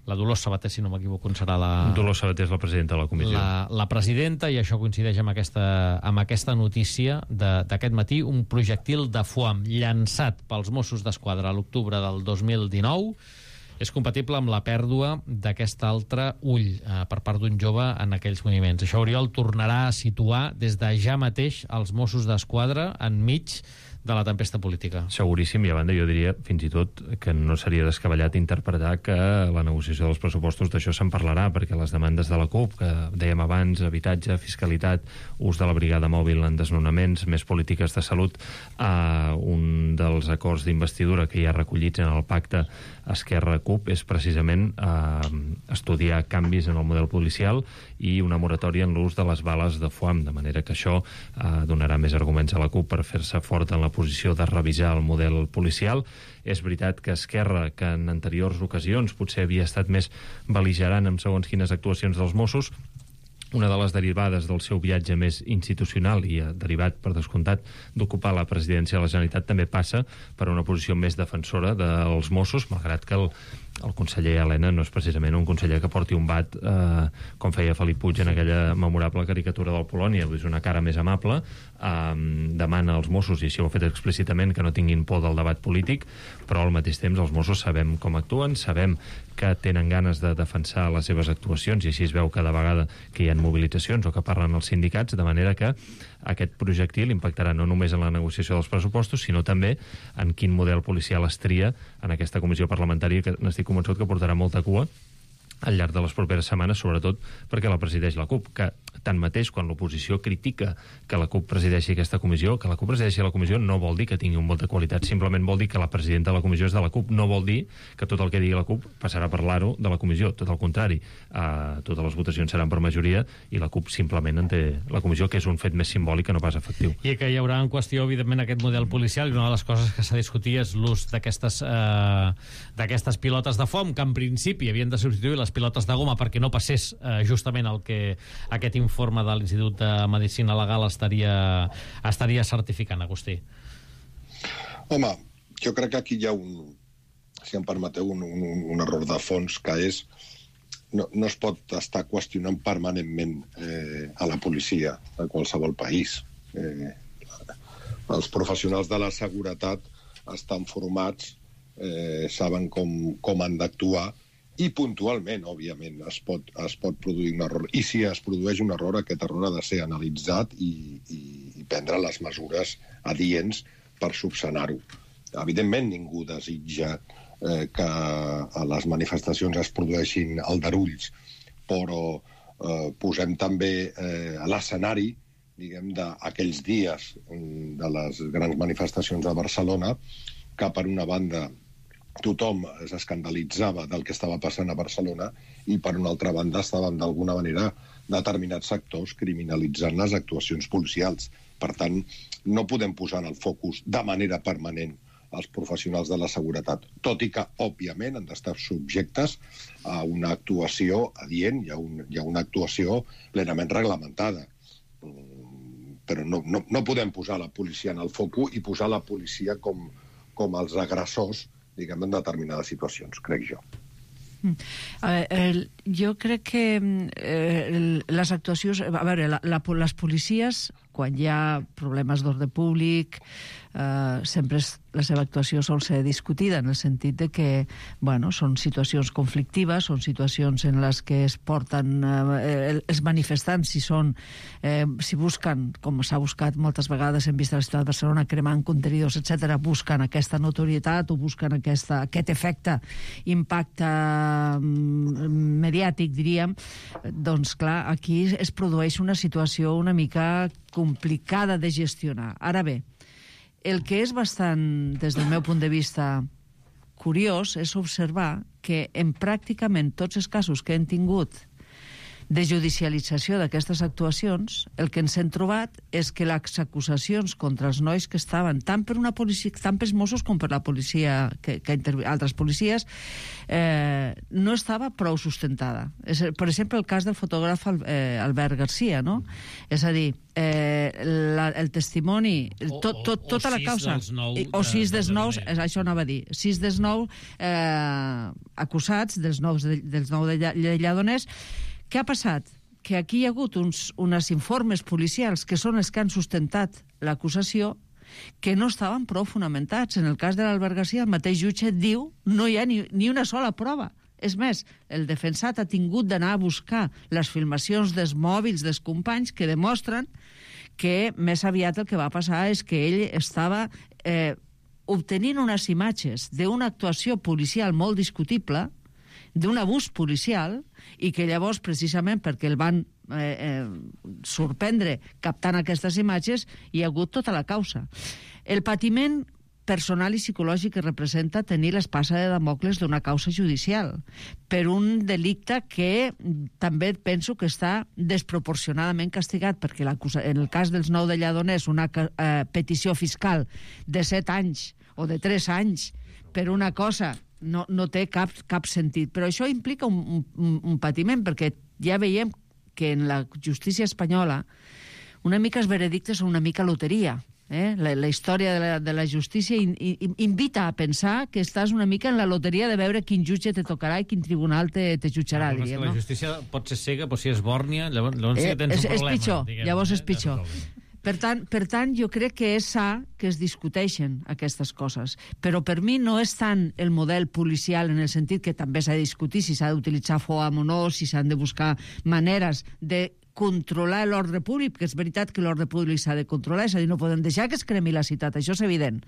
La Dolors Sabater, si no m'equivoco, serà Dolors Sabater és la presidenta de la comissió. La presidenta, i això coincideix amb aquesta notícia d'aquest matí, un projectil de foam llançat pels Mossos d'Esquadra a l'octubre del 2019 és compatible amb la pèrdua d'aquest altre ull per part d'un jove en aquells moviments. Això, Oriol, tornarà a situar des de ja mateix els Mossos d'Esquadra enmig de la tempesta política. Seguríssim, i a banda jo diria fins i tot que no seria descabellat interpretar que la negociació dels pressupostos d'això se'n parlarà, perquè les demandes de la CUP, que dèiem abans, habitatge, fiscalitat, ús de la brigada mòbil en desnonaments, més polítiques de salut, un dels acords d'investidura que hi ha recollits en el pacte Esquerra-CUP és precisament estudiar canvis en el model policial i una moratòria en l'ús de les bales de foam, de manera que això donarà més arguments a la CUP per fer-se fort en la posició de revisar el model policial. És veritat que Esquerra, que en anteriors ocasions potser havia estat més bel·ligerant amb segons quines actuacions dels Mossos, una de les derivades del seu viatge més institucional i derivat, per descomptat, d'ocupar la presidència de la Generalitat també passa per una posició més defensora dels Mossos, malgrat que el conseller Elena no és precisament un conseller que porti un bat com feia Felip Puig en aquella memorable caricatura del Polònia, és una cara més amable, demana als Mossos, i això ho ha fet explícitament, que no tinguin por del debat polític, però al mateix temps els Mossos sabem com actuen, sabem que tenen ganes de defensar les seves actuacions, i així es veu cada vegada que hi ha mobilitzacions o que parlen els sindicats, de manera que aquest projectil impactarà no només en la negociació dels pressupostos, sinó també en quin model policial es tria en aquesta comissió parlamentària, que n'estic convençut que portarà molta cua al llarg de les properes setmanes, sobretot perquè la presideix la CUP, que tanmateix, quan l'oposició critica que la CUP presideixi aquesta comissió, que la CUP presideixi la comissió no vol dir que tingui un vot de qualitat, simplement vol dir que la presidenta de la comissió és de la CUP, no vol dir que tot el que digui la CUP passarà a parlar-ho de la comissió, tot el contrari, totes les votacions seran per majoria i la CUP simplement en té la comissió, que és un fet més simbòlic que no pas efectiu. I que hi haurà en qüestió, evidentment, aquest model policial, i una de les coses que s'ha discutit és l'ús d'aquestes pilotes de foam, que en principi havien de substituir les pilotes de goma perquè no passés justament el que aquest informe de l'Institut de Medicina Legal estaria certificant, Agustí. Home, jo crec que aquí hi ha si em permeteu, un error de fons, que és no es pot estar qüestionant permanentment a la policia de qualsevol país. Els professionals de la seguretat estan formats, saben com han d'actuar, i puntualment, òbviament, es pot produir un error. I si es produeix un error, aquest error ha de ser analitzat i prendre les mesures adients per subsanar-ho. Evidentment, ningú desitja que a les manifestacions es produeixin aldarulls, però posem també a l'escenari, diguem, d'aquells dies de les grans manifestacions a Barcelona, que per una banda tothom s'escandalitzava del que estava passant a Barcelona i per una altra banda estaven d'alguna manera determinats sectors criminalitzant les actuacions policials. Per tant, no podem posar en el focus de manera permanent els professionals de la seguretat, tot i que, òbviament, han d'estar subjectes a una actuació adient i a una actuació plenament reglamentada. Però no podem posar la policia en el focus i posar la policia com els agressors, diguem, en determinades situacions, crec jo. Jo crec que les actuacions... A veure, les policies, quan hi ha problemes d'ordre públic, sempre la seva actuació sol ser discutida, en el sentit de que, bueno, són situacions conflictives, són situacions en les que es porten els manifestants, si busquen, com s'ha buscat moltes vegades, hem vist a la ciutat de Barcelona, cremant contenidors, etc., busquen aquesta notorietat o busquen aquest efecte, impacte mediàtic, diríem, doncs, clar, aquí es produeix una situació una mica complicada de gestionar. Ara bé, el que és bastant, des del meu punt de vista, curiós és observar que en pràcticament tots els casos que hem tingut de judicialització d'aquestes actuacions, el que ens hem trobat és que les acusacions contra els nois que estaven tant per una policia, tant pels Mossos com per la policia, altres policies, no estava prou sustentada. Per exemple, el cas del fotògraf Albert Garcia, no? És a dir, el testimoni, tota la causa, o 6 dels 9, això anava a dir, 6 dels 9 acusats, dels 9 de Lledoners. Què ha passat? Que aquí hi ha hagut uns informes policials que són els que han sustentat l'acusació, que no estaven prou fonamentats. En el cas de l'Albert Garcia, el mateix jutge diu no hi ha ni una sola prova. És més, el defensat ha tingut d'anar a buscar les filmacions dels mòbils dels companys que demostren que més aviat el que va passar és que ell estava obtenint unes imatges d'una actuació policial molt discutible, d'un abús policial, i que llavors, precisament perquè el van sorprendre captant aquestes imatges, hi ha hagut tota la causa. El patiment personal i psicològic que representa tenir l'espasa de Damocles d'una causa judicial per un delicte que també penso que està desproporcionadament castigat, perquè en el cas dels 9 de Lledoners una petició fiscal de 7 anys o de 3 anys per una cosa no té cap sentit. Però això implica un patiment, perquè ja veiem que en la justícia espanyola una mica els veredictes són una mica loteria. La història de la justícia invita a pensar que estàs una mica en la loteria de veure quin jutge te tocarà i quin tribunal te jutjarà. La justícia pot ser cega, pot ser esbòrnia, llavors sí que tens un problema. És pitjor, llavors és pitjor. Per tant, jo crec que és sa que es discuteixen aquestes coses, però per mi no és tant el model policial en el sentit que també s'ha de discutir si s'ha d'utilitzar FOAM o no, si s'han de buscar maneres de controlar l'ordre públic, perquè és veritat que l'ordre públic s'ha de controlar, és a dir, no podem deixar que es cremi la ciutat, això és evident.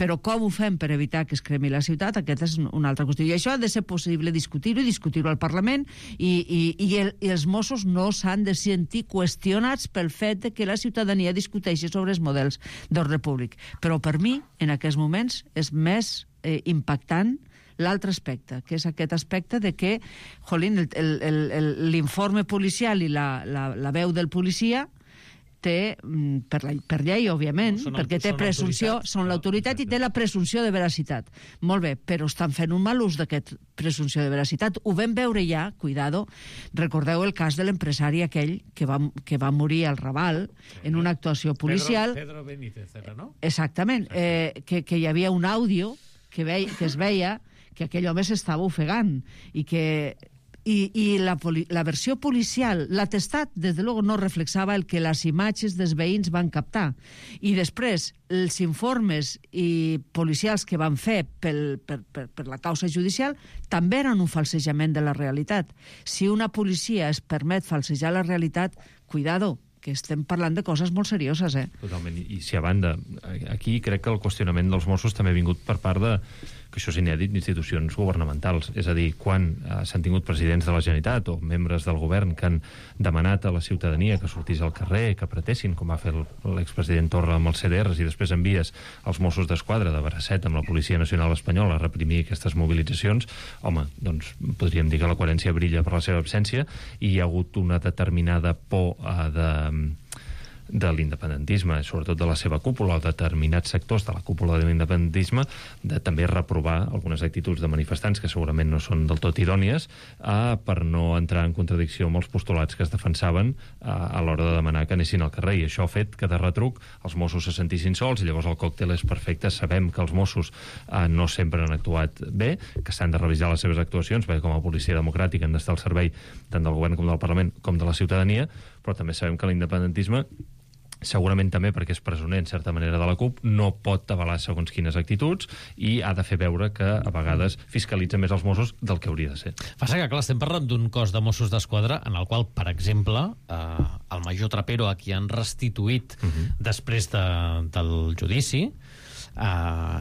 Però com ho fem per evitar que es cremi la ciutat? Aquesta és una altra qüestió. I això ha de ser possible discutir-ho i discutir-ho al Parlament, i els Mossos no s'han de sentir qüestionats pel fet que la ciutadania discuteixi sobre els models d'ordre públic. Però per mi, en aquests moments, és més impactant l'altre aspecte, que és aquest aspecte de que, jolín, l'informe policial i la veu del policia té, per llei, òbviament, perquè té presumpció, són l'autoritat i té la presumpció de veracitat. Molt bé, però estan fent un mal ús d'aquest presumpció de veracitat. Ho vam veure ja, cuidado, recordeu el cas de l'empresari aquell que va morir al Raval en una actuació policial. Pedro Benítez, no? Exactament, que hi havia un àudio que es veia que aquell home s'estava ofegant i la versió policial, l'atestat, des de luego, no reflexava el que les imatges dels veïns van captar. I després, els informes policials que van fer per la causa judicial també eren un falsejament de la realitat. Si una policia es permet falsejar la realitat, cuidado, que estem parlant de coses molt serioses, Totalment, i si a banda, aquí crec que el qüestionament dels Mossos també ha vingut per part de, que això és inèdit, d'institucions governamentals. És a dir, quan s'han tingut presidents de la Generalitat o membres del govern que han demanat a la ciutadania que sortís al carrer, que apretessin, com va fer l'expresident Torra amb els CDRs, i després envies els Mossos d'Esquadra de bracet amb la Policia Nacional Espanyola a reprimir aquestes mobilitzacions, home, doncs podríem dir que la coherència brilla per la seva absència, i hi ha hagut una determinada por de l'independentisme, sobretot de la seva cúpula, o determinats sectors de la cúpula de l'independentisme, de també reprovar algunes actituds de manifestants que segurament no són del tot idònies, per no entrar en contradicció amb els postulats que es defensaven a l'hora de demanar que anessin al carrer, i això ha fet que de retruc els Mossos se sentissin sols, i llavors el còctel és perfecte. Sabem que els Mossos no sempre han actuat bé, que s'han de revisar les seves actuacions, perquè com a policia democràtica han d'estar al servei tant del govern com del Parlament com de la ciutadania, però també sabem que l'independentisme, segurament també perquè és presoner en certa manera de la CUP, no pot avalar segons quines actituds i ha de fer veure que a vegades fiscalitza més els Mossos del que hauria de ser. Passa que, clar, estem parlant d'un cos de Mossos d'Esquadra en el qual, per exemple, el major Trapero, a qui han restituït després del judici,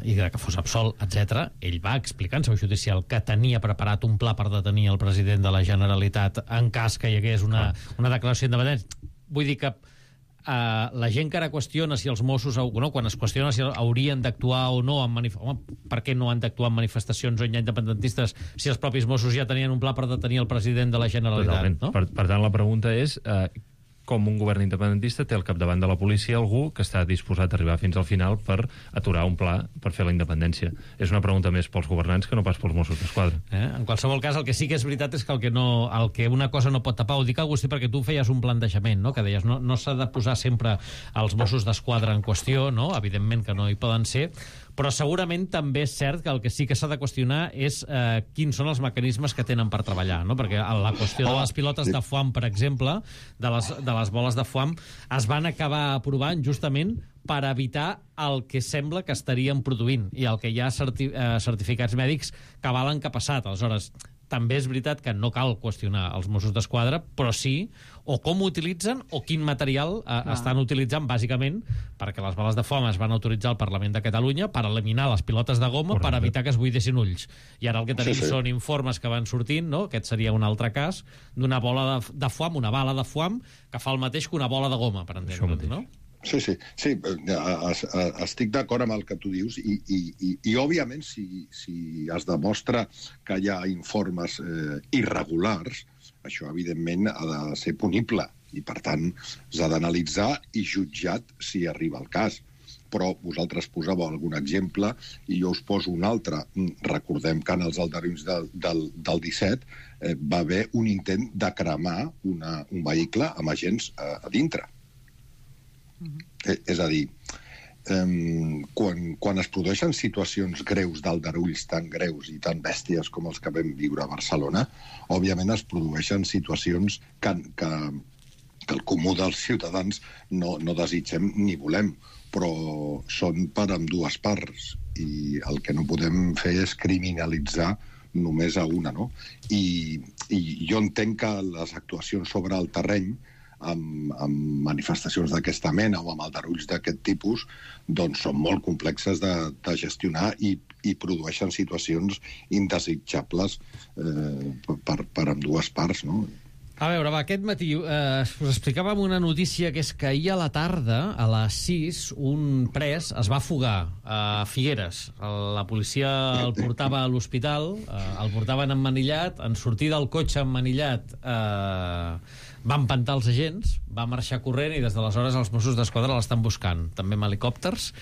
i que fos absolt, etc., ell va explicar en seu judicial que tenia preparat un pla per detenir el president de la Generalitat en cas que hi hagués una declaració independent. Vull dir que la gent que ara qüestiona si els Mossos, quan es qüestiona si haurien d'actuar o no, per què no han d'actuar en manifestacions on hi ha independentistes si els propis Mossos ja tenien un pla per detenir el president de la Generalitat, no? Per tant, la pregunta és com un govern independentista té al capdavant de la policia algú que està disposat a arribar fins al final per aturar un pla per fer la independència. És una pregunta més pels governants que no pas pels Mossos d'Esquadra. En qualsevol cas, el que sí que és veritat és que el que una cosa no pot tapar, ho dic, Agustí, perquè tu feies un plantejament, no? Que deies, no s'ha de posar sempre els Mossos d'Esquadra en qüestió, no? Evidentment que no hi poden ser, però segurament també és cert que el que sí que s'ha de qüestionar és quins són els mecanismes que tenen per treballar, no? Perquè la qüestió de les pilotes de foam, per exemple, de les boles de foam, es van acabar aprovant justament per evitar el que sembla que estarien produint, i el que hi ha certificats mèdics que avalen que ha passat. Aleshores, també és veritat que no cal qüestionar els Mossos d'Esquadra, però sí o com ho utilitzen o quin material estan utilitzant, bàsicament, perquè les bales de foam es van autoritzar al Parlament de Catalunya per eliminar les pilotes de goma. Correcte. Per evitar que es buidessin ulls. I ara el que tenim són informes que van sortint, no? Aquest seria un altre cas, d'una bola de foam, una bala de foam, que fa el mateix que una bola de goma, per entendre'ns, no? Sí, estic d'acord amb el que tu dius i òbviament, si es demostra que hi ha informes irregulars, això, evidentment, ha de ser punible i, per tant, s'ha d'analitzar i jutjat si arriba el cas. Però vosaltres posàveu algun exemple i jo us poso un altre. Recordem que en els aldarulls del 17 va haver un intent de cremar un vehicle amb agents a dintre. És a dir, quan es produeixen situacions greus d'aldarulls tan greus i tan bèsties com els que vam viure a Barcelona, òbviament es produeixen situacions que el comú dels ciutadans no desitgem ni volem, però són per ambdues parts, i el que no podem fer és criminalitzar només a una, no? I jo entenc que les actuacions sobre el terreny amb manifestacions d'aquesta mena o amb aldarulls d'aquest tipus, doncs són molt complexes de gestionar i produeixen situacions indesitjables per ambdues parts, no? A veure, aquest matí us explicàvem una notícia, que és que ahir a la tarda, a les 6, un pres es va fugar a Figueres. La policia el portava a l'hospital, el portaven emmanillat, en sortir del cotxe emmanillat va empantar els agents, va marxar corrent i des d'aleshores els Mossos d'Esquadra l'estan buscant, també amb helicòpters,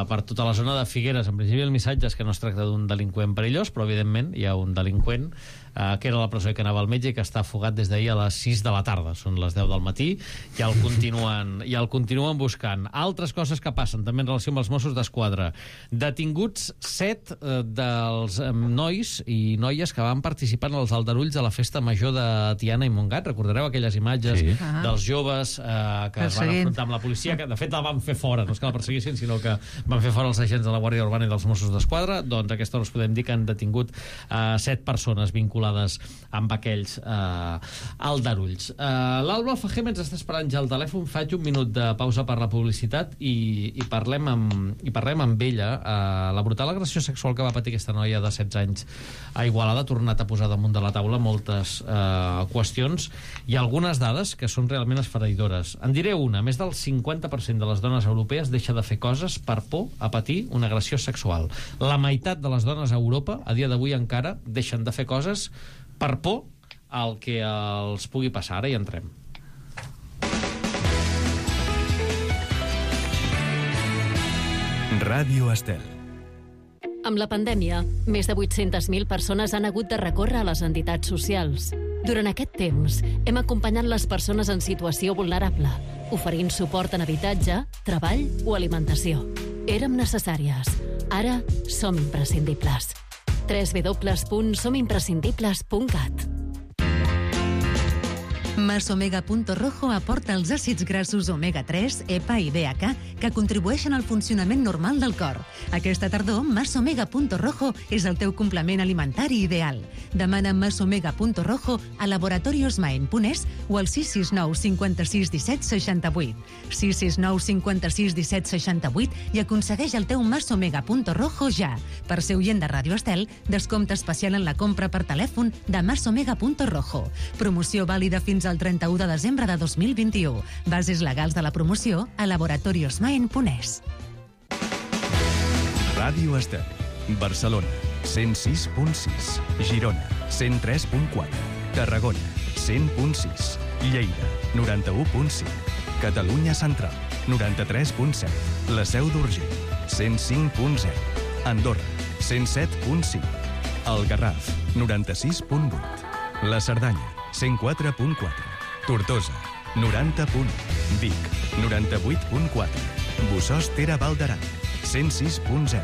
per tota la zona de Figueres. En principi el missatge és que no es tracta d'un delinqüent perillós, però evidentment hi ha un delinqüent que era a la presó i que anava al metge i que està fugat des d'ahir a les 6 de la tarda. Són les 10 del matí i el continuen buscant. Altres coses que passen també en relació amb els Mossos d'Esquadra. Detinguts 7 dels nois i noies que van participar en els aldarulls de la festa major de Tiana i Montgat. Recordareu aquelles imatges dels joves que es van enfrontar amb la policia, que de fet la van fer fora, no és que la perseguissin, sinó que van fer fora els agents de la Guàrdia Urbana i dels Mossos d'Esquadra. Doncs a aquesta hora us podem dir que han detingut 7 persones vinculades amb aquells aldarulls. L'Alba Alfajeme ens està esperant ja al telèfon. Faig un minut de pausa per la publicitat i parlem amb ella. La brutal agressió sexual que va patir aquesta noia de 16 anys a Igualada ha tornat a posar damunt de la taula moltes qüestions i algunes dades que són realment esfereïdores. En diré una: més del 50% de les dones europees deixa de fer coses per por a patir una agressió sexual. La meitat de les dones a Europa a dia d'avui encara deixen de fer coses per por al que els pugui passar. Ara hi entrem. Ràdio Estel. Amb la pandèmia, més de 800.000 persones han hagut de recórrer a les entitats socials. Durant aquest temps, hem acompanyat les persones en situació vulnerable, oferint suport en habitatge, treball o alimentació. Érem necessàries. Ara som imprescindibles. www.somimprescindibles.cat. Masomega.rojo aporta els àcids grassos omega-3, EPA i DHA que contribueixen al funcionament normal del cor. Aquesta tardor, Masomega.rojo és el teu complement alimentari ideal. Demana Masomega.rojo a laboratoriosmaen.es o al 669 56 17 68. 669 56 17 68 i aconsegueix el teu Masomega.rojo ja. Per ser oient de Ràdio Estel, descompte especial en la compra per telèfon de Masomega.rojo. Promoció vàlida fins al 31 de desembre de 2021. Bases legals de la promoció a laboratoriosmaen.es. Ràdio Estel, Barcelona, 106.6, Girona, 103.4, Tarragona, 100.6, Lleida, 91.5, Catalunya Central, 93.7, la Seu d'Urgell, 105.0, Andorra, 107.5, el Garraf, 96.8, la Cerdanya, 104.4, Tortosa, 90.1, Vic, 98.4, Bossòst Tere Val d'Aran, 106.0.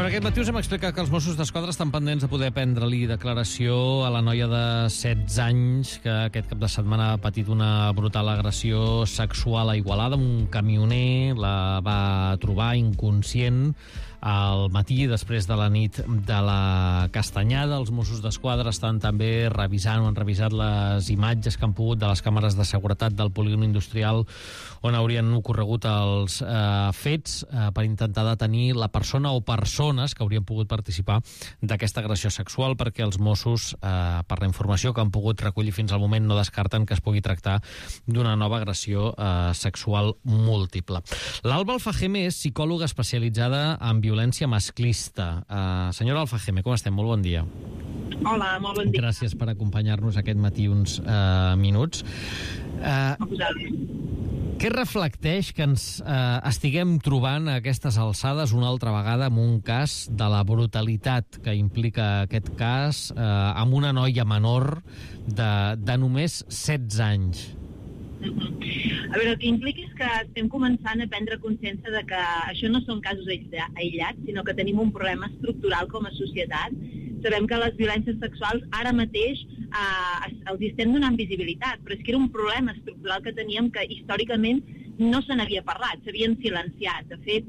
Aquest matí us hem explicat que els Mossos d'Esquadra estan pendents de poder prendre-li declaració a la noia de 16 anys que aquest cap de setmana ha patit una brutal agressió sexual a Igualada. Un camioner la va trobar inconscient al matí, després de la nit de la Castanyada. Els Mossos d'Esquadra estan també revisant o han revisat les imatges que han pogut de les càmeres de seguretat del polígon industrial on haurien ocorregut els fets per intentar detenir la persona o persones que haurien pogut participar d'aquesta agressió sexual, perquè els Mossos, per la informació que han pogut recollir fins al moment, no descarten que es pugui tractar d'una nova agressió sexual múltiple. L'Alba Alfajeme és psicòloga especialitzada en violència masclista. Senyora Alfajeme, com estem? Molt bon dia. Hola, molt bon dia. Gràcies per acompanyar-nos aquest matí uns minuts. Què reflecteix que ens estiguem trobant a aquestes alçades una altra vegada amb un cas de la brutalitat que implica aquest cas amb una noia menor de només 16 anys? A veure, el que implica és que estem començant a prendre consciència de que això no són casos aïllats, sinó que tenim un problema estructural com a societat. Sabem que les violències sexuals ara mateix els estem donant visibilitat, però és que era un problema estructural que teníem que històricament no se n'havia parlat, s'havien silenciat. De fet,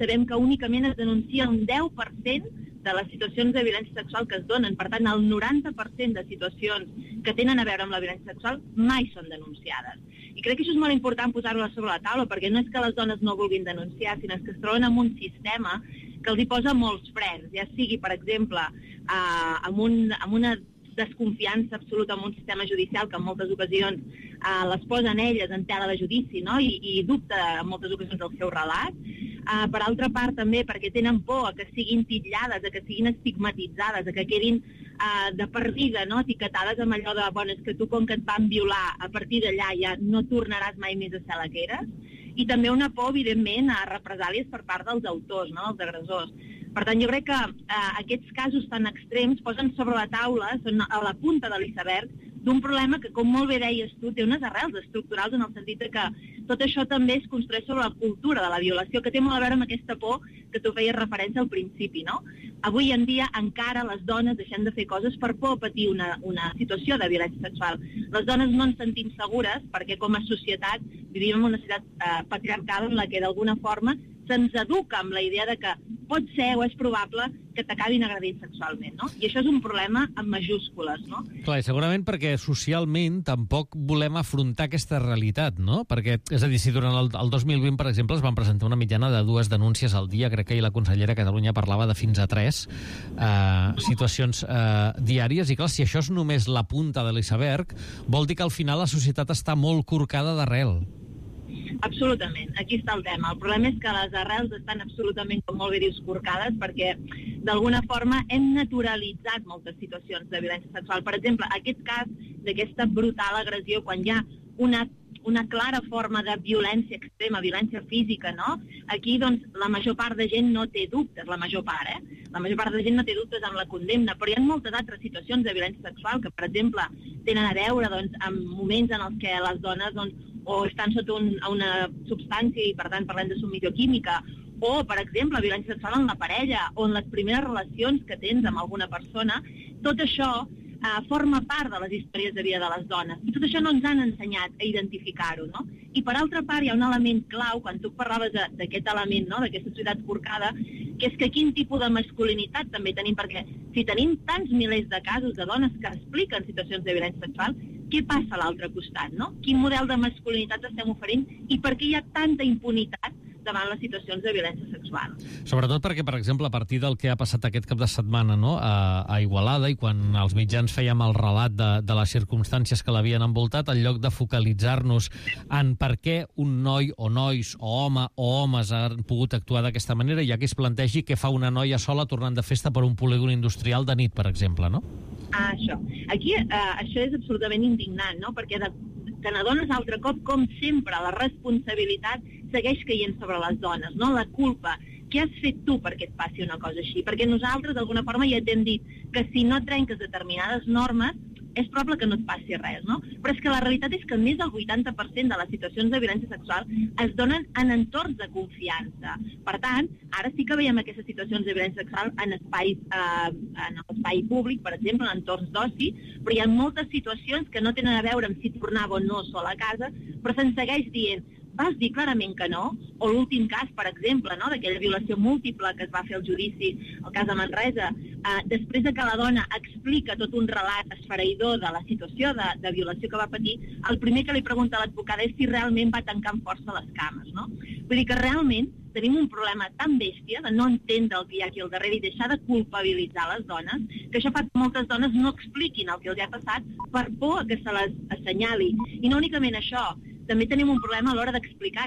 sabem que únicament es denuncia un 10% de les situacions de violència sexual que es donen. Per tant, el 90% de situacions que tenen a veure amb la violència sexual mai són denunciades. I crec que això és molt important posar-ho sobre la taula, perquè no és que les dones no vulguin denunciar, sinó que es troben en un sistema que els hi posa molts frens, ja sigui, per exemple, amb una desconfiança absoluta en un sistema judicial que en moltes ocasions les posen elles en tela de judici, no? I dubta en moltes ocasions del seu relat. Per altra part, també, perquè tenen por a que siguin titllades, a que siguin estigmatitzades, a que quedin de per vida, no? Etiquetades amb allò de, bueno, és que tu com que et van violar, a partir d'allà ja no tornaràs mai més a ser la que eres. I també una por, evidentment, a represàlies per part dels autors, no? Dels agressors. Per tant, jo crec que aquests casos tan extrems posen sobre la taula, són a la punta de l'iceberg, d'un problema que, com molt bé deies tu, té unes arrels estructurals en el sentit que tot això també es construeix sobre la cultura de la violació, que té molt a veure amb aquesta por que tu feies referència al principi, no? Avui en dia encara les dones deixem de fer coses per por a patir una situació de violència sexual. Les dones no ens sentim segures perquè com a societat vivim en una societat patriarcal en la que d'alguna forma se'ns educa amb la idea de que pot ser o és probable que t'acabin agredint sexualment, no? I això és un problema amb majúscules, no? Clar, i segurament perquè socialment tampoc volem afrontar aquesta realitat, no? Perquè, és a dir, si durant el 2020, per exemple, es van presentar una mitjana de 2 denúncies al dia, crec que ahir la consellera de Catalunya parlava de fins a 3 situacions diàries, i clar, si això és només la punta de l'iceberg, vol dir que al final la societat està molt corcada d'arrel. Absolutament, aquí està el tema. El problema és que les arrels estan absolutament, com molt bé dius, corcades, perquè d'alguna forma hem naturalitzat moltes situacions de violència sexual. Per exemple, aquest cas d'aquesta brutal agressió, quan hi ha una clara forma de violència extrema, violència física, no? Aquí, doncs, la major part de gent no té dubtes, la major part, La major part de gent no té dubtes amb la condemna, però hi ha moltes altres situacions de violència sexual que, per exemple, tenen a veure, doncs, amb moments en els que les dones, doncs, o estan sota una substància i, per tant, parlem de submissió química, o, per exemple, violència sexual en la parella, o en les primeres relacions que tens amb alguna persona. Tot això forma part de les històries de vida de les dones. I tot això no ens han ensenyat a identificar-ho, no? I, per altra part, hi ha un element clau, quan tu parlaves d'aquest element, no?, d'aquesta societat corcada, que és que quin tipus de masculinitat també tenim, perquè si tenim tants milers de casos de dones que expliquen situacions de violència sexual, què passa a l'altre costat, no? Quin model de masculinitat estem oferint i per què hi ha tanta impunitat davant les situacions de violència sexual. Sobretot perquè, per exemple, a partir del que ha passat aquest cap de setmana, no?, a Igualada, i quan els mitjans fèiem el relat de les circumstàncies que l'havien envoltat, en lloc de focalitzar-nos en per què un noi o nois o home o homes han pogut actuar d'aquesta manera, ja que es plantegi què fa una noia sola tornant de festa per un polígon industrial de nit, per exemple, no? Això. Aquí això és absolutament indignant, no?, perquè te n'adones altre cop, com sempre, la responsabilitat segueix caient sobre les dones, no? La culpa. Què has fet tu perquè et passi una cosa així? Perquè nosaltres, d'alguna forma, ja t'hem dit que si no trenques determinades normes, és probable que no et passi res, no? Però és que la realitat és que més del 80% de les situacions de violència sexual es donen en entorns de confiança. Per tant, ara sí que veiem aquestes situacions de violència sexual en l'espai públic, per exemple, en entorns d'oci, però hi ha moltes situacions que no tenen a veure amb si tornava o no sola a casa, però se'n segueix dient vas dir clarament que no, o l'últim cas, per exemple, no?, d'aquella violació múltiple que es va fer al judici, el cas de Manresa, després de que la dona explica tot un relat esfereïdor de la situació de violació que va patir, el primer que li pregunta a l'advocada és si realment va tancar amb força les cames, no? Vull dir que realment tenim un problema tan bèstia de no entendre el que hi ha aquí al darrere i deixar de culpabilitzar les dones, que això fa que moltes dones no expliquin el que els ha passat per por que se les assenyali. I no únicament això, també tenim un problema a l'hora d'explicar